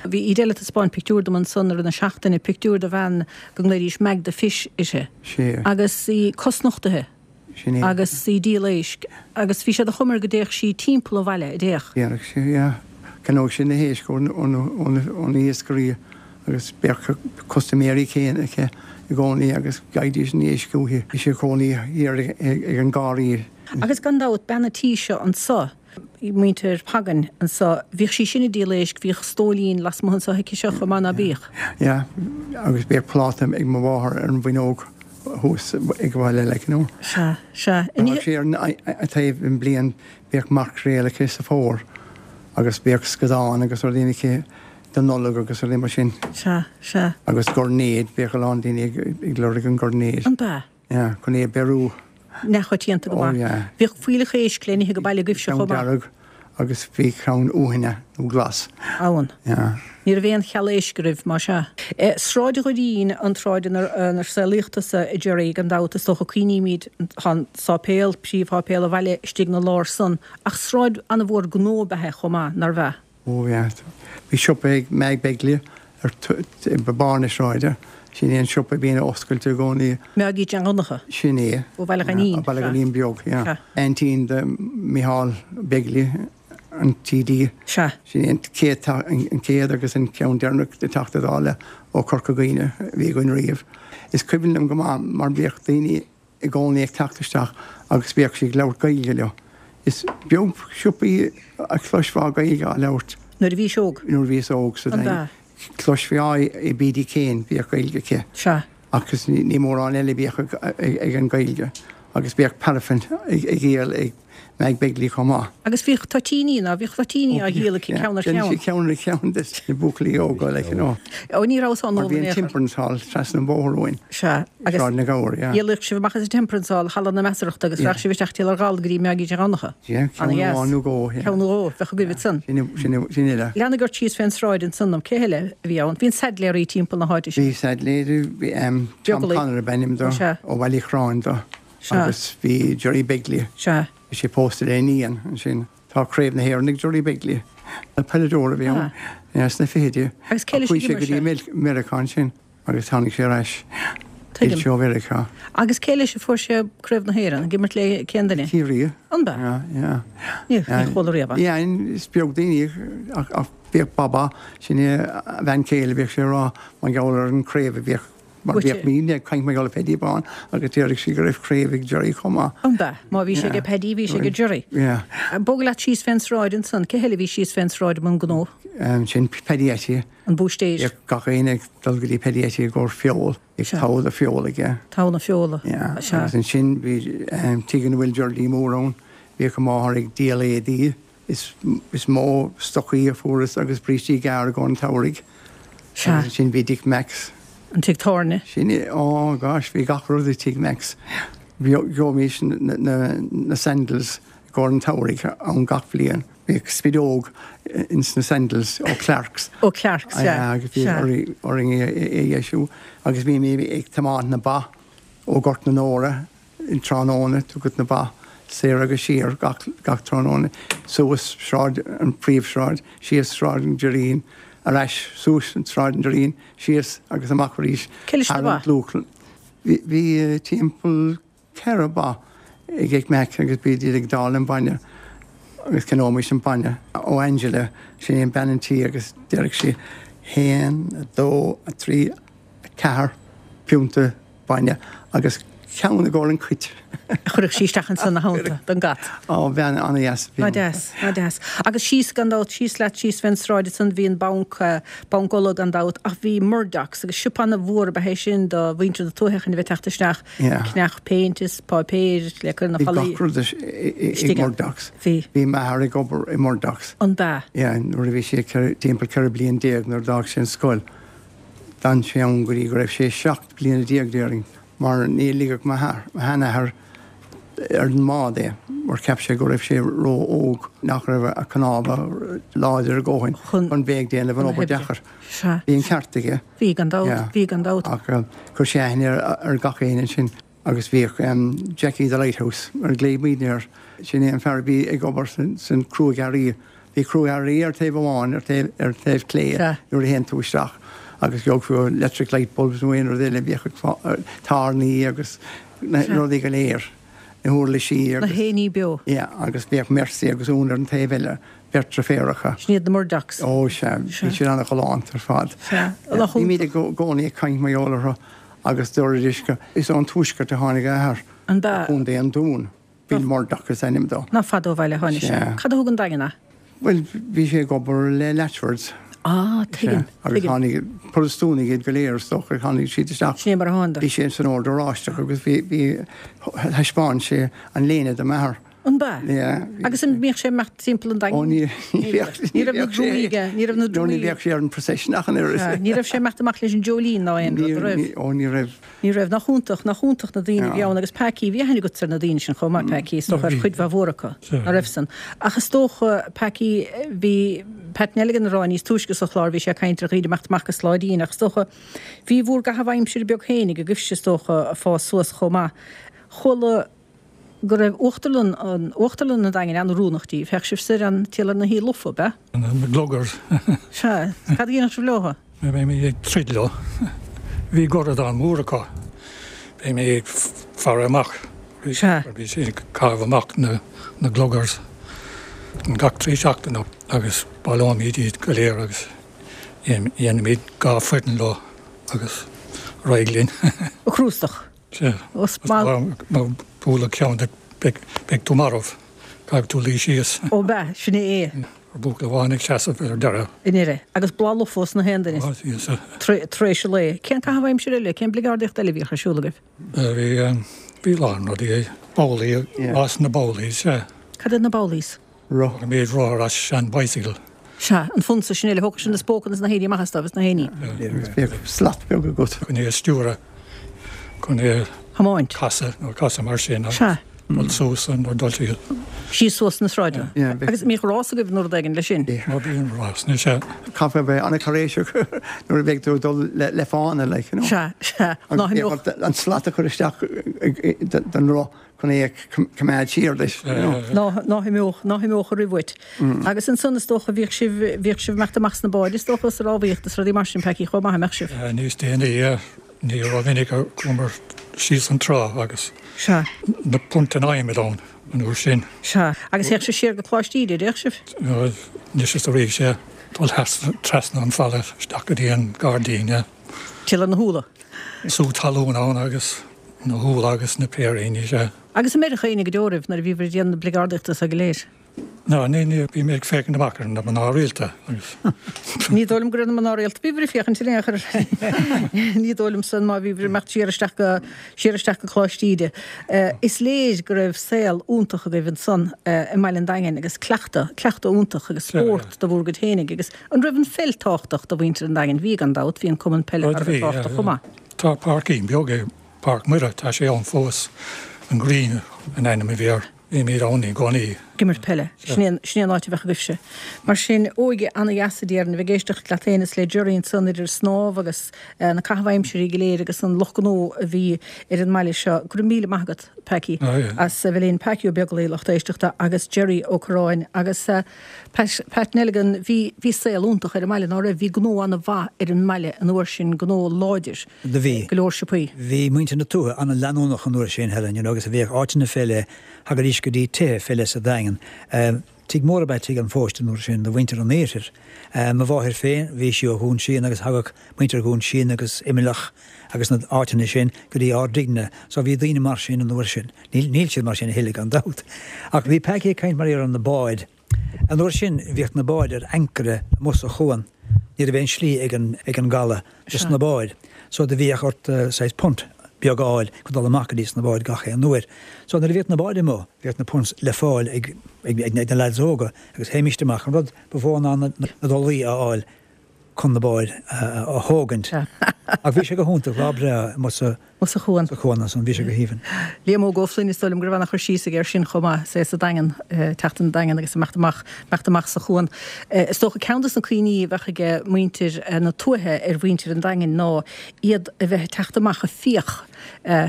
Bhí Edel ag taispeáint pictiúr dom ansan i rith na seachtaine, pictiúr de bhean go nglaoidís Mag the Fish uirthi. Sea. Agus í cosnochtaithe. Sin é. Agus í ag díol éisc. Agus bhí sé de chuma air go dtéadh sí timpeall an bhaile, a dtéadh? Dhéanadh sí, yeah. Cheannódh sí na héisc ó ó na hiascairí agus bheadh custaiméirí céanna aici i gcónaí agus gheibhidís an éisc uaithi. Bhí sí ina cónaí thiar ag an Garraí. Agus gan dabht, bean an tí seo anso, muintir Phagan anso, bhíodh sí sin ag díol éisc, bhíodh stóilín lasmuigh anso aici seo chomh maith, ná bíodh? Yeah, agus bhíodh pláta ag mo mháthair ar an bhfuinneog thuas ag baile, like, you know. Sea, sea. Bheadh sí ar an taobh i mbliain, bhíodh maicréal aici sa bhfómhar agus bhíodh scadán agus rudaí aici don Nollaig agus rudaí mar sin. Sea, sea. Agus goirnéid, bhíodh a lán daoine ag lorg an goirnéid. An b'ea? Yeah, chun é a bheiriú. Neamhchoitianta go Oh maith. yeah. Bhíodh fuílleach éisc le n-ithe go baile agaibhse Ceann chomh maith. dearg agus bhí ceann uaithne nó glas. Ann. Yeah. Ní raibh aon cheal éisc agaibh, más ea. Sráid an Dhoirín an tsráid inar saolaíodh tusa, a Jerry, gan dabht, is dócha, cuimhnímid, tá an sáipéal, príomhsháipéal an bhaile istigh 'na lár san, ach sráid an-mhór gnó ab ea é chomh maith, nárbh ea? Ó yeah. Bhí siopa ag Mag Begley ar barr na sráide. Sin é an siopa a bhíonn oscailte i gcónaí. Maggie Jean Dhonncha. Sin é. Ó Bhaile Ghainín. Ó Bhaile Ghainín beag, yeah. Aintín de Micheál Begley an TD. Sea. Sin é an chéad an chéad agus an ceann deireanach de Teachta Dála ó Chorca Dhuibhne a bhí againn riamh. Is cuimhin liom go maith mar bhíodh daoine i gcónaí ag teacht isteach agus bhíodh sí ag labhairt Gaeilge leo. Is beag siopaí a chloisfeá Gaeilge á labhairt. Nuair a bhís óg? Nuair a bhíos óg sa Daingean. Chloisfeá i Biddy Kane, bhíodh Gaeilge aici. Sea. Agus ní mórán eile a bhíodh ag an Ghaeilge. Agus bhíodh paraffin ag dhíol ag Meg Begley chomh maith. Agus bhíodh toitíní, ná bhíodh toitíní á dhíol aici ceann ar cheann? Deineadh sí ceann ar cheann des na buachaillí óga, like, you know. Ó, ní rabhas á n-ól in aon chor. Mar bhí an Temperance Hall trasna an bhóthair uainn. Sea, agus. Sráid na gCabhar, yeah. Dhíoladh sibh amach as an Temperance Hall, Halla na Measarthachta, agus rachadh sibh isteach timpeall ar Ghall go dtí Meaigí Dé Dhomhnacha. Yeah, ceann amháin nó dhó, yeah. Ceann nó dhó, bheadh agaibh ansan. Sin, sin, sin uile. Leanaigí ort síos fén sráid ansan dom, cé heile a bhí ann? Bhí an Saidléirí timpeall na háite sin. Bhí Saidléirí, bhí, em, Tom Connor ab ainm dó, ó Bhaile Uí Chorráin dó. Sea. Agus bhí Jerry Begley. Sea. Bhí sé pósta le iníon ansin. Tá Craobh na hÉireann ag Jerry Begley. Peileadóir a bhí ann. Ah. Sna fichidí. Agus cé leis a Chuaigh sé d'imir go dtí sé? Meiriceá ansin agus tháinig sé ar ais. Tuigim. D'fhill sé ó Mheiriceá. Agus cé leis a fuair sé Craobh na hÉireann? Ag imirt le cén duine? Ciarraí. An b'ea? Yeah, yeah. Ní, ní chuala riamh é. Yeah, is beag daoine ach, ach bhíodh Baba, sin é a bhean chéile, bhíodh sé ag rá mar gheall ar an craobh a bhíodh Mar bhíodh muidne ag caint mar gheall ar Paddy Bán agus déarfadh sí go raibh craobh ag Jerry chomh maith. An b'ea? Má bhí sé aige Paddy, bhí sé aige Jerry. Yeah. Bog leat síos fén sráid ansan. Cé heile a bhí síos fén sráid i mbun gnó? Sin Paddy Atty. An búistéir. Bhíodh gach éinne ag dul go dtí Paddy Atty i gcomhair feoil. Bhíodh togha de feoil aige. Togha na feola. Yeah. Sea. Agus ansin bhí tigh ina bhfuil Geraldine Mór ann. Bhíodh a máthair ag díol éadaí. Is is mó stocaí a fuarthas agus brístí gearra i gcomhair an tsamhraidh. Sea. Agus ansin bhí Dick Max. An tigh tábhairne. Sin é, oh gosh, bhí gach rud i Tigh Max. Gheobhaimis na, na, na sandals i gcomhair an tsamhraidh ann gach bliain. Bhíodh spideog ins na sandals ó Clarks. Ó Clarks, sea. Yeah, agus bhí orainn é a dheisiú. Agus bhí mé ag tiomáint na ba ó Gort na Nóra in tráthnóna, tugadh na ba soir agus siar gach, gach tráthnóna, suas sráid, an phríomhshráid, síos Sráid an Doirín, ar ais suas an Sráid an Doirín, síos agus amach arís Cé leis na thar ba? an dlúthchlann. Bhí, bhí timpeall ceithre ba ag Dick Mac agus bhí iad ag dáileadh an bainne agus cheannóimis an bainne ó Angela, sin í an bean an tí agus déarfadh sí haon, a dó, a trí, a ceathair piúnta bainne agus ceann i gcomhair an chait. Chuirfeadh sí isteach ansan ina theannta don gcat. Ó, bhean an-dheas a bhí Ná ann. deas, ná deas. Agus síos gan dabht, síos leat, síos fén sráid ansan, bhí an banc, Banc Uladh gan dabht, ach bhí Murdoch's agus siopa ana-mhór ab ea é sin do mhuintir na tuaithe chun a bheith ag teacht isteach, Yeah. ag ceannach péint is páipéir le cur na Bhí fallaí. gach rud i Istigh ann. Murdoch's. Bhí. Bhí m'athair ag obair i Murdoch's. An b'ea? Yeah, nuair a bhí sé timpeall ceithre bliain déag nuair a d'fhág sé an scoil. D'fhan sé ann go dtí go raibh sé seacht bliana déag déarfainn, mar ní ligfeadh m'athair, mo sheanathair, ar an mbád é, mar cheap sé go raibh sé ró-óg, nach raibh a chnámha láidir a dhóthain chun bheith ag déanamh an obair deacair. Bhí an ceart aige. Bhí gan dabht, bhí gan dabht. Ach chuir sé aithne ar gach éinne ansin agus bhíodh Jackie the Lighthouse, mar a ghlaoigh muidne air, sin é an fear a bhí ag obair san cruaidh-earraí. Bhí cruaidh-earraí ar taobh amháin, ar taobh, ar taobh clé nuair a théann tú isteach agus gheobhaidh tú electric light bulbs nó aon rud eile, bhíodh tairní agus na rudaí go léir, na huirlisí agus. Na héiní beo. Yeah, agus bhíodh Mercy agus Úna ar an taobh eile, beirt deirféaracha. Sin iad na Murdochs. Ó, sea, bhí siad an-ghalánta ar fad. Sea. Bhímid i gcónaí ag caint mar gheall orthu agus dúraidís go, is ón tuaisceart a tháinig a athair. An b'ea? Contae an Dúin. Bill Murdoch is ainm dó. Nach fada ó bhaile a tháinig sé. Cad a thug an Daingean é? Bhuel, bhí sé ag obair le Latchfords. Ah, tuigim, Sea. Agus tuigim. tháinig, Protastúnaigh iad go léir, is dócha, tháinig siad isteach. Sin é mar a thánadar. Bhí sé san Ord Oráisteach agus bhí, bhí, thaispeáin sé an léine do m'athair. An b'ea? Yeah. Agus an mbíodh sé ag imeacht timpeall an Daingin? Ó, ní, ní bheadh, Ní raibh na drumaí aige, ní raibh na drumaí. Ní bheadh sé ar an procession ach an oiread. Sea, ní raibh sé ag imeacht amach leis an dreoilín ná aon rud, an raibh? Ó, ní raibh. Ní raibh. Nach iontach, nach iontach na daoine a bhí ann agus Packie, bhí aithne agatsa ar na daoine sin chomh maith, Packie, is dócha ar chuid mhaith mhór acu, ná raibh san. Ach is dócha, Packie, bhí Pat Nelligan ag rá níos túisce sa chlár, bhí sé ag caint ar dhaoine ag imeacht amach go Sláidín ach is dócha, bhí bhur gcaitheamh aimsire beag féinig agaibhse is dócha ag fás suas chomh maith. Chuala go raibh uachtarlann an uachtarlann an Daingin an-oiriúnach daoibh. Théadh sibh soir ann timpeall ar na hUí Lofa, ab ea? Na gluggers. Sea. Cad a dhéanfadh sibh leo? Bheimid ag troid leo. Bhí goradán mór acu. Bheimid ag faire amach. Sea. Bhí siad ag caitheamh amach na na gluggers. seachtain, gach trí seachtaine agus baileoimid iad go léir agus dhéanaimid dhá foireann leo agus ar aghaidh linn. Ó chrústach. Sea. Má buaileadh ceann de beidh tú marbh, caithfidh tú luí síos. Ó b'ea, sin é é. Buachaill amháin ag seasamh ar deireadh. I ndeireadh. Agus boladh lofa os na haon duine. Tar éis an lae. Cén caitheamh aimsire eile, cén bligeardaíocht eile a bhíodh ar siúl agaibh? Bhí, bhí a lán rudaí. Babhlaí, rás na babhlaí, sea. Cad iad na babhlaís? Roth. Bhí rothar as sean bicycle. Sea, an fonsa sin eile, thógadh sin na spócanna is na héirí amach astu agus na héiní. Bhíodh slat beag agat. Chun é a stiúradh, chun é a thiomáint. Casadh nó casadh mar sin. Sea. Dul suas nó dul síos. Síos suas na sráideanna. Agus an mbíodh rás agaibh nó rud éigin leis sin? Ó bíonn rás, ní sea. Caithfidh a bheith an-chairéiseach nuair a bheidh tú ag dul le fána, like, you know. Sea, sea. Ná himeodh. An slat a chur isteach don roth chun é a choimeád siar leis, you know. Ná, ná himeodh, ná himeodh a roimh uait. Agus ansan is dócha bhíodh sibh, bhíodh sibh ag imeacht amach sna báid is dócha sa rámhaíocht is rudaí mar sin, Packie, chomh maith, an mbeadh sibh? Níos déanaí, ní rómhinic a chuamar síos an trá agus Sea. na punt in adhmad ann an uair sin. Sea. Agus théadh sibh siar go Coláiste Íde, dtéadh sibh? Anois is arís, sea. Dul trasna an falla isteach go dtí an gairdín, yeah. Timpeall ar na húlla. Sú talún ann agus na húlla agus na péiríní, sea. Agus an mbeireadh éinne go deo oraibh nuair a bhíobhair ag déanamh na bligeardaíochta so go léir? Ná, ní, ní, bhí mé ag féachaint amach ar na mná rialta agus. Ní dóigh liom gur ar na mná rialta a bhíobhair ag féachaint in aon chor. Ní dóigh liom san má bhíobhair ag imeacht siar isteach go, siar isteach go Coláiste Íde. Is léir go raibh saol iontach agaibh ansan i mbaile an Daingin agus cleachtadh, cleachtadh iontach agus spórt do bhur gcuid fhéinig agus an raibh an pheil tábhachtach do mhuintir an Daingin? Bhí gan dabht, bhí an cumann peile thar a bheith tábhachtach chomh maith. Tá páircín beag i Páirc Mhuire, tá sé ann fós, an Green an ainm a bhí air. Bímid ann i gcónaí. Ag imirt peile. Sin é sin é an áit a bheadh agaibhse. Mar sin, óige ana-dheas a déarfainn, a bheith ag éisteacht leat féin is le Jerry ansan idir snámh agus na caithimh aimsirí go léir agus an lucht gnó a bhí ar an mbaile seo. Go raibh míle maith agat, Packie, as a bheith linn. Packie Ó Beaglaoi, lucht éisteachta, agus Jerry Ó Curráin. Agus Pat, Pat Nelligan, bhí, bhí saol iontach ar an mbaile, ná raibh? Bhí gnó ana-mhaith ar an mbaile an uair sin, gnó láidir. Do bhí. Go leor siopaí. Bhí muintir na tuaithe ana-leanúnach an uair sin, Helen, you know, agus bhíodh áiteanna fé leith Thagaidís go dtí tithe fé leith sa Daingean. Tigh mór ab ea Tigh an Phóist an uair sin do mhuintir an iarthair. Mo mháthair féin, bhí sí ó Dhún Síon agus thagadh muintir Dhún Síon agus Imleach agus na áiteanna sin go dtí ár dtighne. So bhí daoine mar sin an uair sin. Níl, níl siad mar sin a thuilleadh gan dabht. Ach bhí Packie ag caint mar ar na báid. An uair sin bhíodh na báid ar ancaire amuigh sa chuan. Ní raibh aon slí ag an, ag an gcaladh dos na báid. So do bhíodh ort saghas punt beag a fháil chun dul amach go dtí sna báid gach aon uair. So nuair a bhíodh na báid amuigh, bhíodh na punts le fáil ag ag na lads óga agus théimíst amach. An rud ba mhó ná na dolaí a fháil chun na báid a thógaint. Ach bhí sé go hiontach, lá breá amuigh sa Amuigh sa chuan. Sa chuan ansan, bhí sé go haoibhinn. Liam Óg Ó Floinn, is dóigh liom go raibh an-chur síos aige air sin chomh maith, is é sa Daingean, teacht an Daingean agus imeacht amach, imeacht amach sa chuan. Is dócha ceann de na cuimhní a bheadh ag muintir na tuaithe ar mhuintir an Daingin ná iad a bheith ag teacht amach ag fiach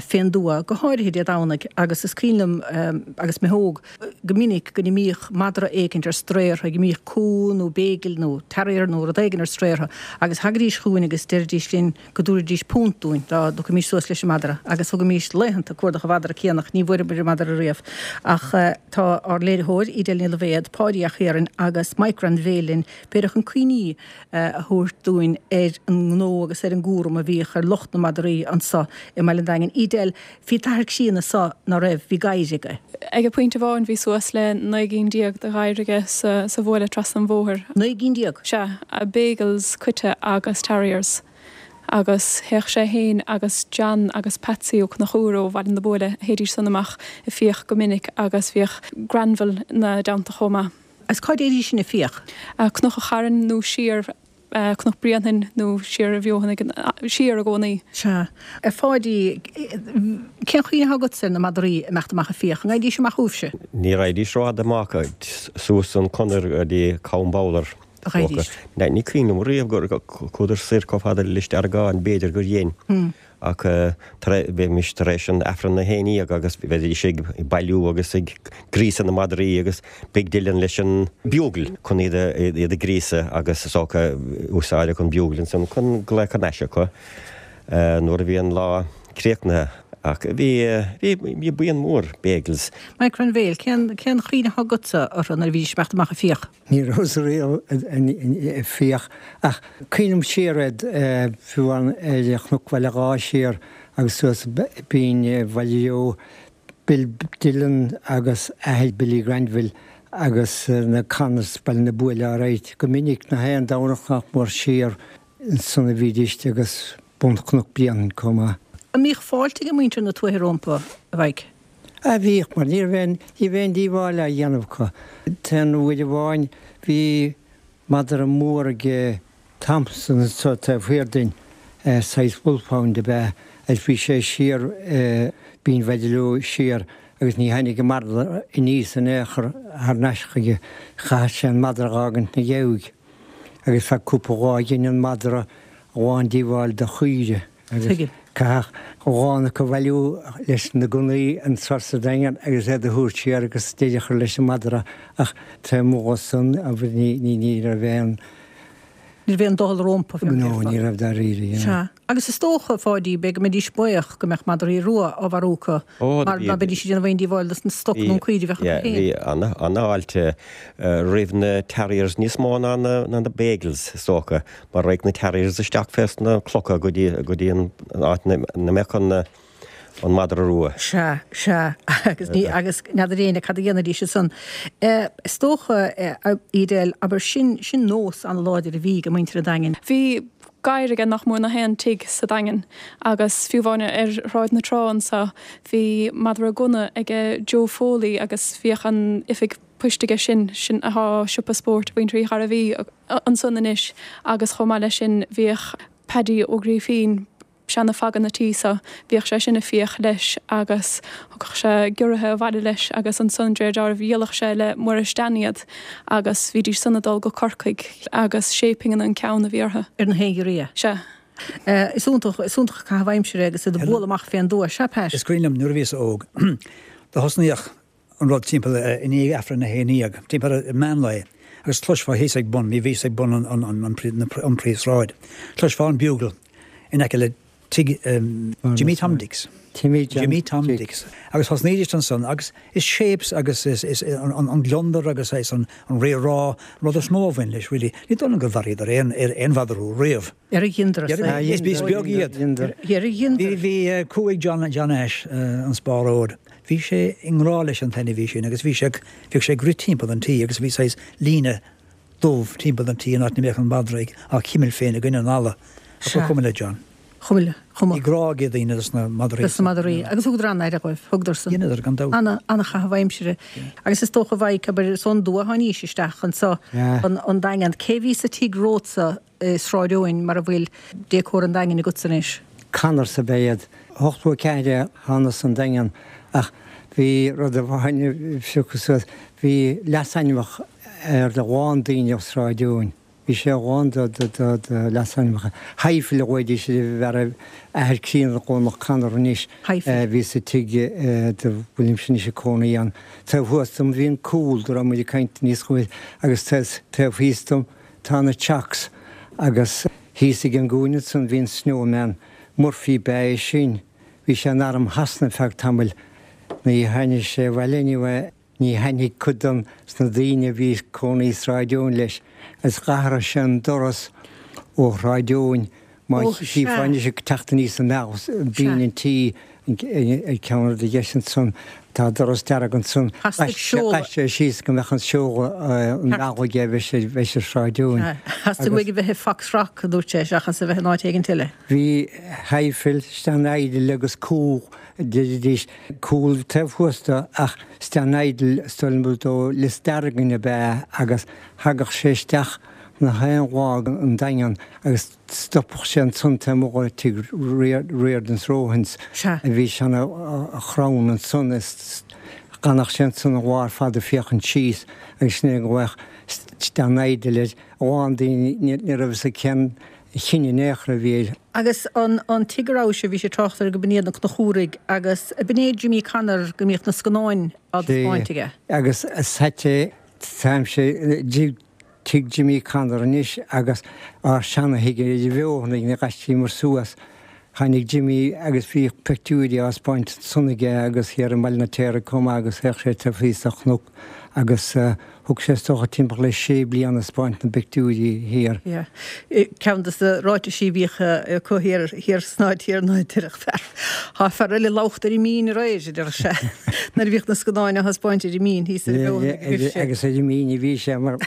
fén dtuath, go háirithe Dé Domhnaigh, agus is cuimhin liom agus mé óg, go minic go n-imíodh madra éicint ar strae orthu, go mbíodh cú nó béigil nó terrier nó rud éigin ar strae orthu agus thagaidís chugainn agus deiridís linn go dtabharfaidís punt dúinn dá dtiocfaimis suas leis an madra agus thugaimis laethanta ag cuardach an mhadra céanna ach ní bhfuaireamar an madra riamh. Ach tá ár léiritheoir, Edel Ní Loibhéad, Páidí 'Ac Thiaráin agus Mike Granville linn, b'fhéidir chun cuimhní a thabhairt dúinn ar an ngnó agus ar an gcúram a bhíodh ar lucht na madraí anso i mBaile an Daingin. Edel, bhí t'athair críonna so, ná raibh? Bhí gadhair aige. Ag pointe amháin bhí suas le naoi gcinn déag de ghadhair aige sa sa bhuaile trasna an bhóthair. Naoi gcinn déag? Sea, Beagles, coite agus Terriers. Agus théadh sé fhéin agus John agus Patsy Ó Conchúir ó Bhaile na Buaile, théidís san amach ag fiach go minic agus bhíodh Granville 'na dteannta chomh maith. Agus cá dtéidís sin ag fiach? Cnoc an Chairn nó siar Cnoc Bréanainn nó siar a Bheothanaigh, siar i gcónaí. Sea. A Pháidí, cén chuimhne atá agatsa ar na madraí ag imeacht amach ag fiach? An ngabhaidís amach chugaibhse? Ní raghaidís rófhada amach, suas an conair go dtí Com Babhlar. A raghaidís? Ní cuimhin liom riamh gur chuadar soir chomh fada le Lios Deargáin, b'fhéidir gur dhein. Ach bheimis tar éis an Aifreann a haon déag agus bheidís ag bailiú agus ag gríosadh na madraí agus Big Dylan leis an bugle chun iad a ghríosadh agus is dócha úsáideadh an bugle ansan chun glaoch thar n-ais acu nuair a bhí an lá críochnaithe. Ach bhí bhí bhí buíon mór Beagles. Mike Granville, cén cén chuimhne atá agatsa orthu nuair a bhídís ag imeacht amach ag fiach? Ní rabhas riamh ag fiach ach cuimhním siar air fiú ar Chnoc Bhaile Dháith siar agus suas Binn Bhaile Eo, Bill Dillon agus athair Billy Granville agus na Connors Baile na Buaile alright. Go minic nach aon Domhnach nach mór siar ansan a bhídís agus bun Chnoc Bréanainn chomh maith. An mbíodh fáilte ag muintir na tuaithe rompu, a Mhaidhc? A bhíodh, mar ní raibh aon, ní raibh aon díobháil á dhéanamh acu. T-aon uair amháin bhí madra mór ag Thompson anso taobh thiar dínn, saghas wolfhound ab ea, agus bhí sé siar Binn Bhaile Leo siar agus ní tháinig an madra aníos in aon chor thar n-ais chuige. Chaithfeadh sé an madra a dh'fhágaint 'na dheabhaidh agus feadh cúpla lá dhein an madra a lán díobháil do chaoire agus caithfeadh a lán acu a bhailiú leis na gunnaí anso sa Daingean agus iad a thabhairt siar agus deireadh a chur leis an madra ach taobh amuigh dhó san ní ní raibh aon Ní raibh aon doicheall rompu, fé mar a No, déarfá. ní raibh dáiríre, you know. Sea. Agus is dócha, a Pháidí, b'fhéidir go mbeidís buíoch go mbeadh madraí rua á mharú acu Ó, mar bhí ná beidís ag déanamh aon díobháil dos na stoc bhí nó an caoirigh a bheadh acu yeah, féin. bhí ana ana-fháilte roimh na Terriers níos mó ná na ná na Beagles is dócha, mar raghadh na Terriers isteach fés na clocha go dtí go dtí an áit ina mbeadh an an madra rua. Sea, sea, agus ní, agus n'fheadar éinne cad a dhéanfaidís ansan. Is dócha, a Edel, abair, sin, sin nós an-láidir a bhí ag muintir an Daingin. Bhí gadhar aige nach mór nach aon tigh sa Daingean agus fiú amháin ar Shráid na Trá anso bhí madra gunna aige Joe Foley agus bhíodh an oifig poist aige sin, sin athá siopa spóirt mhuintir Uí Ghairbhí ansan anois agus chomh maith leis sin bhíodh Paddy Ó Grífín, seana-phagan na tí so, bhíodh sé sin ag fiach leis agus thugadh sé giorraithe abhaile leis agus ansan de réir dealraimh dhíoladh sé le Muiris Dan iad agus bhídís san ag dul go Corcaigh agus sé pingin an ceann a bhí orthu. Ar na haon ghiorria. Sea. Is iontach, is iontach an caitheamh aimsire agus iad ag bualadh amach fén dtuath. Sea, Pat? Is cuimhin liom nuair a bhíos óg, do thosnaíodh an rud timpeall i ndiaidh Aifreann a haon déag, timpeall ar meán lae, agus chloisfeá thíos ag bun, bhí bhíos ag bun an, an, an, an, an príomhshráid, chloisfeá an bugle in aice le tigh Jimmy Tom Dix. Timmy Jimmy Tom Dix. Agus thosnaídís ansan agus is shapes agus is, is an, an, an gliondar agus is an, an ré-rá an rud is mó a bhain leis, really. Ní dóigh liom gur mharaíodar aon, aon mhadra rua riamh. Ar a dheineadar Ar a is is beag iad. Ar a dheineadar. Bhí, bhí cú ag John, John Ashe, an spáróir. Bhí sé i ngrá leis an t-ainmhí sin agus bhí sé, bhíodh sé ag rith timpeall an tí agus bhí saghas líne dubh timpeall an tí in áit ina mbeadh an madra ag á chimilt féin i gcoinne an fhalla. Ach ba chuma le John. Chuma le, chuma. Bhí grá ag daoine dos na madraí. Dos na madraí. Agus thugadar an-aire dhóibh, thugadar san. Dheineadar gan dabht. Ana, ana-chaitheamh aimsire. Agus is dócha a Mhaidhc, abair, is ón dtuath a tháinís isteach anso, an Daingean. Cé bhí sa tigh romhatsa i Sráid Eoin mar a bhfuil Décor an Daingin agatsa anois? Connors ab ea iad. Ochtó a ceathair a thánas an Daingean ach bhí rud amháin a phiocadh suas, bhí leasainmneacha ar a lán daoine ó Sráid Eoin. Bhí sé a lán de leasainmneacha. Heifel a ghlaoidís ar an bhfear athair críonna Dónall Connor anois a bhí sa tigh dá bhfuilimse anois ag cónaí ann. Taobh thuas dom bhí an cúl dá raibh muid ag caint níos luaithe agus taobh thíos dom tá na Chocks agus thíos ag an gcúinne ansan bhí an Snowman. Murphy ba ea é sin. Bhí sé in arm Shasana feadh tamaill. Ní tháinig sé abhaile anyway. Ní thaitnigh cuid de sna daoine a bhí ag cónaí i Sráid Eoin leis agus dh'athraigh sé an doras ó Shráid Eoin má chífeá anois ag teacht aníos an bealach binn an tí ar ceann ar do dheis ansan tá doras dearg ansan ghaibh sé síos go mbeadh an seoladh an bealach aige a bheith ar Shráid Eoin. Theastaigh uaidh a bheith i Foxrock, a dúirt sé, seachas a bheith in áit éigin eile. Bhí Heifel, Stan Idle agus Cú Deiridís cúl taobh thuas de ach Stan Idle is dóigh liom ó Lios Deargan ab ea agus thagadh sé isteach na haon lá go an Daingean agus stopadh sé ansan taobh amuigh de tigh Riordans Rohans a bhí seana chrann ansan is d'fhanadh sé ansan an lá ar fad ag féachaint síos agus sin é go bhfaigheadh Stan Idle air a lán daoine ní raibh fhios acu cén chine in aon chor a bhí air. Agus an an tigh a raibh sé, bhí sé ag trácht air go b'in iad na Conchúraigh agus b'in é Jimmy Connor go mbíodh na scannáin á dtaispeáint aige. Agus is ait é, táimse i dtigh Jimmy Connor anois agus ár seana-thigh i bhFeothanaigh na gaistí mar suas, Tháinig Jimmy agus bhí pictiúirí á spáint ansan aige agus thiar i mBaile an Fheirtéaraigh chomh maith agus théadh sé taobh thíos de chnoc agus thug sé is dócha timpeall le sé bliana ag spáint na bpictiúirí thiar. Yeah. Ceann de na ráitisí a bhíodh acu thiar thiar san áit thiar ná deireadh fear Tá fear eile ag labhairt ar an Mín aréir, a deireadh sé, nuair a bhíodh na scannáin á thaispeáint ar an Mín thíos ar an bheothar ag an bhfiche. Agus ar an Mín a bhí sé mar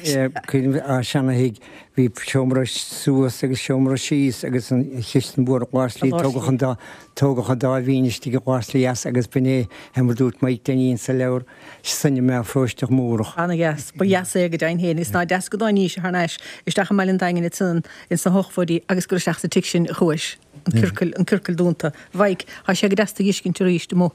cuimhin á seana-thigh bhí seomra suas agus seomra síos agus an chistin mhór glas-slí tógadh an dá tógadh an dá bhinn istigh i glas-slí as agus b'in é é mar dúirt Mike Denny sa leabhar cineama Pharóiste Múrach. Ana-dheas. Ba dheas é go deimhin féin. Is ná deas go dtáinís thar n-ais isteach i mBaile an Daingin ansan ins na hochtóidí agus gur isteach sa tigh sin a chuais. An ciorcal, an ciorcal dúnta. Mhaidhc, tá sé go deas tú a fheiscint arís amuigh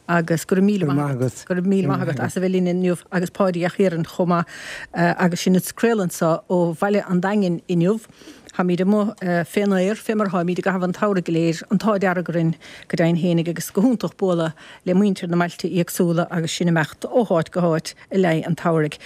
agus go raibh míle maith agat. Go raibh míle maith agat as a bheith linn inniu agus Páidí a' Chiaráin chomh maith agus sinn ag craoladh anso ó Bhaile an Daingin inniu. Táimid amuigh fén aer, fé mar atáimid i gcaitheamh an tsamhraidh go léir, an t-ádh dearg orainn go deimhin fhéinig agus go hiontach bualadh le muintir na mbailte éagsúla agus sinn ag imeacht ó háit go háit i leith an tsamhraidh.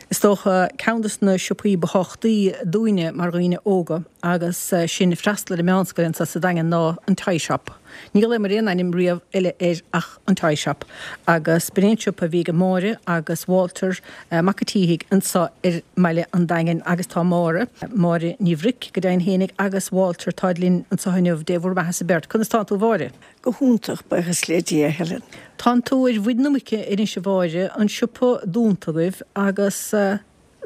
Is dócha ceann de na siopaí ba thábhachtaí dúinne mar dhaoine óga agus sinn ag freastal ar an meánscoil anseo sa Daingean ná an Toy Shop. Ní ghlaomar aon ainm riamh eile air ach an Toy Shop agus b'in é an siopa a bhí ag Máire agus Walter Mac a' tSíthigh anseo ar mBaile an Daingin agus tá Máire, Máire Ní Bhric go deimhin fhéinig agus Walter táid linn anseo inniu, Dé bhur mbeatha-sa beirt. Conas tánn tú a Mháire? Go hiontach, buíochas le Dia, a Helen. Tánn tú ar mhuin na muice anois a Mháire, an siopa dúnta agaibh agus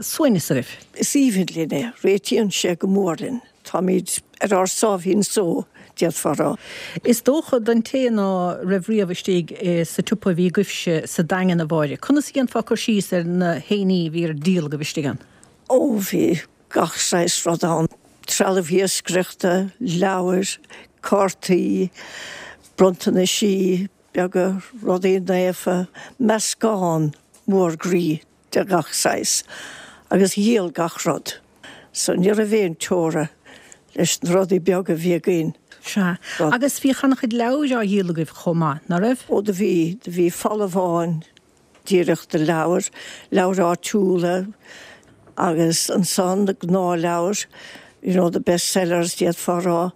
suaimhneas agaibh. Is aoibhinn linn é, réitíonn sé go mór linn. Táimid ar ár sáimhín só, d'fhéadfá a rá. Is dócha don té ná raibh riamh istigh sa tsiopa a bhí agaibhse sa Daingean, a Mháire, conas a dhéanfá cur síos ar na héinní a bhí ar díol agaibh istigh ann? Ó, bhí gach saghas rud ann, trealamh iascaireachta, leabhair, cártaí, bronntanaisí beaga, rudaí naofa, meascán mór groí de gach saghas agus dhíol gach rud. So ní raibh aon teora leis na rudaí beaga a bhí againn. Sea. Agus bhíodh an-chuid leabhair á dhíol agaibh chomh maith, ná raibh? Ó do bhí. Do bhí falla amháin díreach de leabhair, leabhair áitiúla agus ansan na gnáthleabhair, you know, the best sellers d'fhéadfá a rá,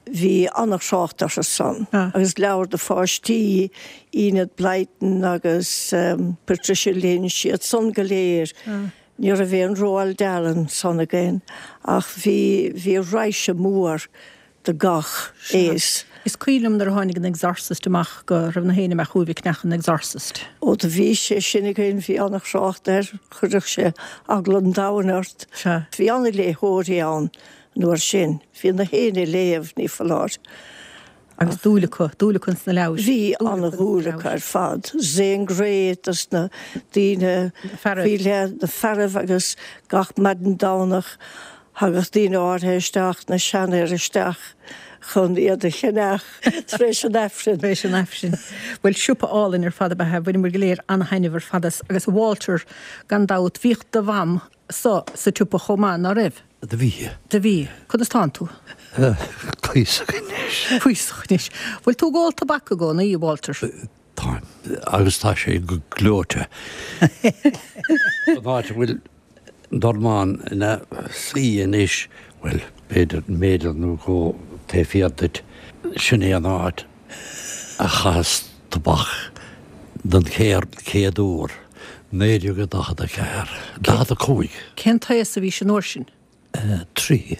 bhí an-thrácht orthu san. Agus leabhair do pháistí, Enid Blyton agus Patricia Lynch, iad san go léir. Ní raibh aon Roald Dahl ansan againn ach bhí, bhí raidhse mór de gach aos. Is cuimhin liom nuair a tháinig an Exorcist amach go raibh na héinne amach chugaibh ag ceannach an Exorcist. Ó do bhí sé sin againn, bhí an-thrácht air, chuirfeadh sé eagla an domhain ort. Bhí an-léitheoirí ann an uair sin, bhí na héinne ag léamh, ní foláir. Agus dúil acu, dúil acu ins na leabhair. Bhí an-dhúil acu ar fad. Zane Grey dos na daoine faoi leith, na fearaibh agus gach maidin Domhnach thagadh daoine áirithe isteach, na seanfhir isteach chun iad a cheannach tar éis an Aifrinn. Tar éis an Aifrinn. Bhuel, siopa álainn ar fad ab ea é, bhaineamar go léir an-thaitneamh ar fad as. Agus Walter, gan dabht, bhíodh do mham sa sa tsiopa chomh maith, ná raibh? Do bhí. Do bhí. Conas tánn tú? Cuíosach anois. Cuíosach anois. Bhfuil tú ag ól tobac i gcónaí, a Walter? Táim. Agus tá sé go gleoite. An áit a bhfuil dornán ina suí anois, bhuel, b'fhéidir méadar nó dhó taobh thiar duit, sin é an áit a chaitheas tobac don chéad uair, naoi déag daichead a ceathair, daichead a cúig. Cén t-aos a bhís an uair sin? Trí.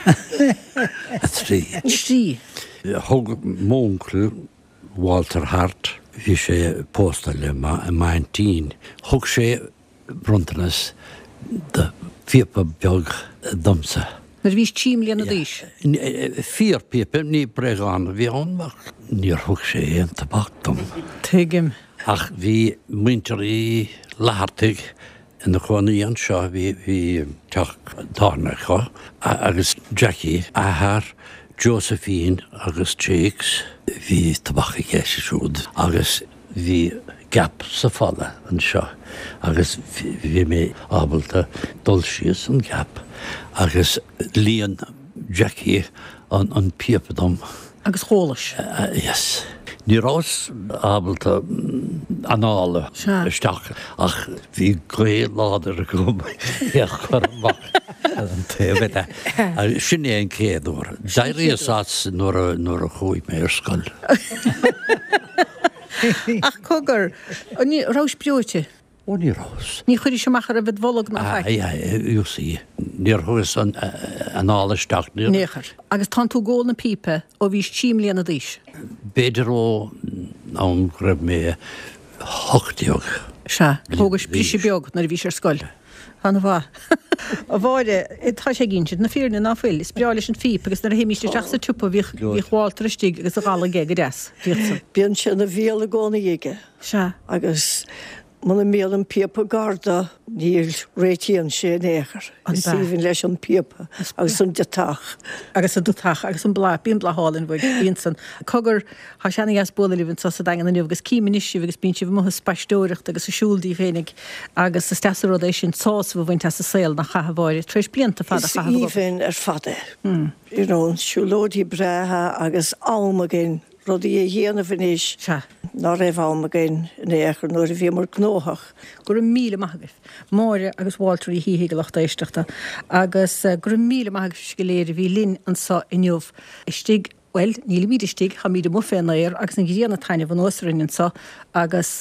A trí. Trí. Thug m'uncail, Walter Hart, bhí sé pósta le m'aintín, thug sé bronntanas de phíopa beag domsa. Nuair a bhís trí mbliana d'aois? Fíorphíopa, ní bréagán a bhí ann ach níor thug sé aon tobac dom. Tuigim. Ach bhí muintir Uí Fhlathartaigh ina cónaí anseo, bhí teach tábhairne acu, agus Jackie, athair Josephine agus Jakes, bhí tobac aige siúd agus bhí gap sa falla anseo agus bhí mé ábalta dul síos an gap agus líon Jackie an píopa dom. Agus dh'ólais? Yes. Ní rabhas ábalta anáil isteach ach bhí gaoth láidir agam é a chur amach ar an taobh eile. Sin é an chéad uair. D'éiríos as nuair a nuair a chuaigh mé ar scoil. Ach cogar, an rabhais breoite? Ó ní rabhas. Ní chuiris amach a raibh id bholg ná faic? You see, níor thugas an anáil isteach. Níor chuir. Agus tánn tú ag ól na pípe ó bhís trí mbliana d'aois? B'fhéidir ó am go raibh mé hocht déag. Sea, thógais briseadh beag nuair a bhís ar scoil. An-mhaith. A Mháire, tá sé ag insint na fírinne ná fuil? Is breá leis an phíp agus nuair a théimíst isteach sa tsiopa bhíodh bhíodh Walter istigh agus a dhalladh aige go deas. Bhíodh san. Bíonn sé ina bhéal i gcónaí aige. Sea. Agus Muna mbíonn an píopa gar dó, ní réitíonn sé in aon chor. Is aoibhinn leis an bpíopa agus an deatach. Agus an deatach agus an bláth. Bíonn bláth álainn uaidh. Bíonn san. Cogar, tá sé ana-dheas bualadh libh anseo sa Daingean inniu agus cím anois sibh agus bíonn sibh amuigh ag spaisteoireacht agus ag siúl daoibh féinig agus is deas an rud é sin sásamh a bhaint as an saol nach ea a Mháire, tar éis blianta fada a Is chaitheamh ag obair. aoibhinn ar fad é. You know, siúlóidí breátha agus am againn. rudaí a dhéanamh anois ná raibh am againn in aon chor nuair a bhíomar gnóthach. Go raibh míle maith agaibh, Máire agus Walter Uí Shíthigh, a lucht éisteachta, agus go raibh míle maith agaibhse go léir a bhí linn anseo inniu istigh, bhuel, nílimid istigh, táimid amuigh fén aer agus an ghrian ag taitneamh anuas orainn anseo agus.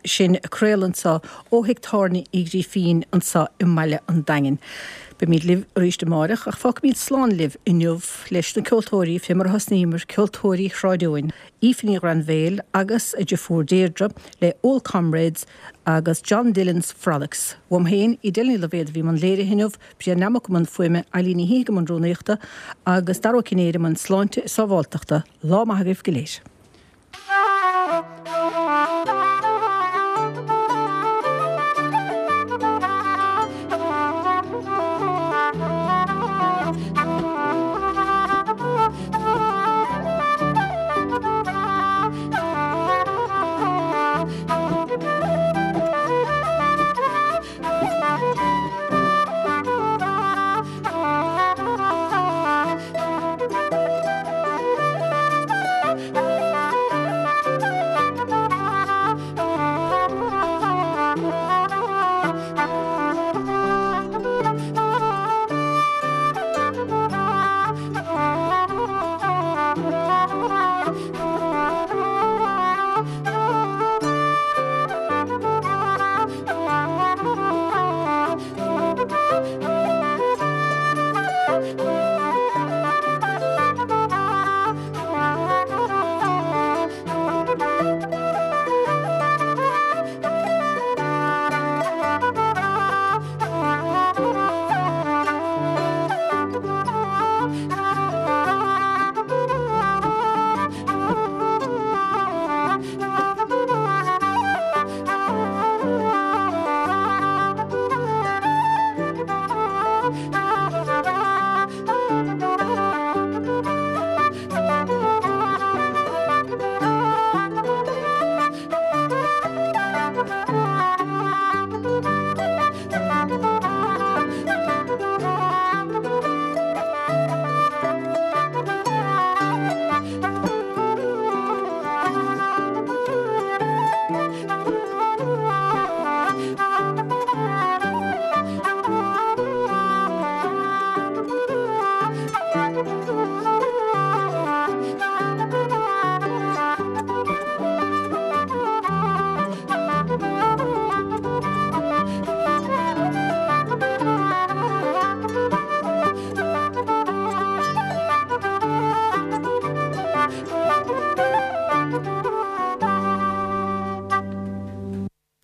sinn ag craoladh anseo ó thigh tábhairne Uí Ghrífín anseo i mbaile an Daingin. Beimid libh arís amáireach ach fágfaimid slán libh inniu leis na ceoltóirí fé mar a thosnaíomar, ceoltóirí Shráid Eoin, Aoife Ní Ghrainbhéil agus a deirfiúr Deirdre le Old Comrades agus John Dillon's Frolics. Uaim féin, Edel Ní Loibhéad a bhí i mbun léirithe inniu, Brian Nammock i mbun fuaime, Eilín Ní Shíthigh i mbun rúnaíochta agus Dara Ó Cinnéide i mbun sláinte is sábháilteachta. Lá maith agaibh go léir.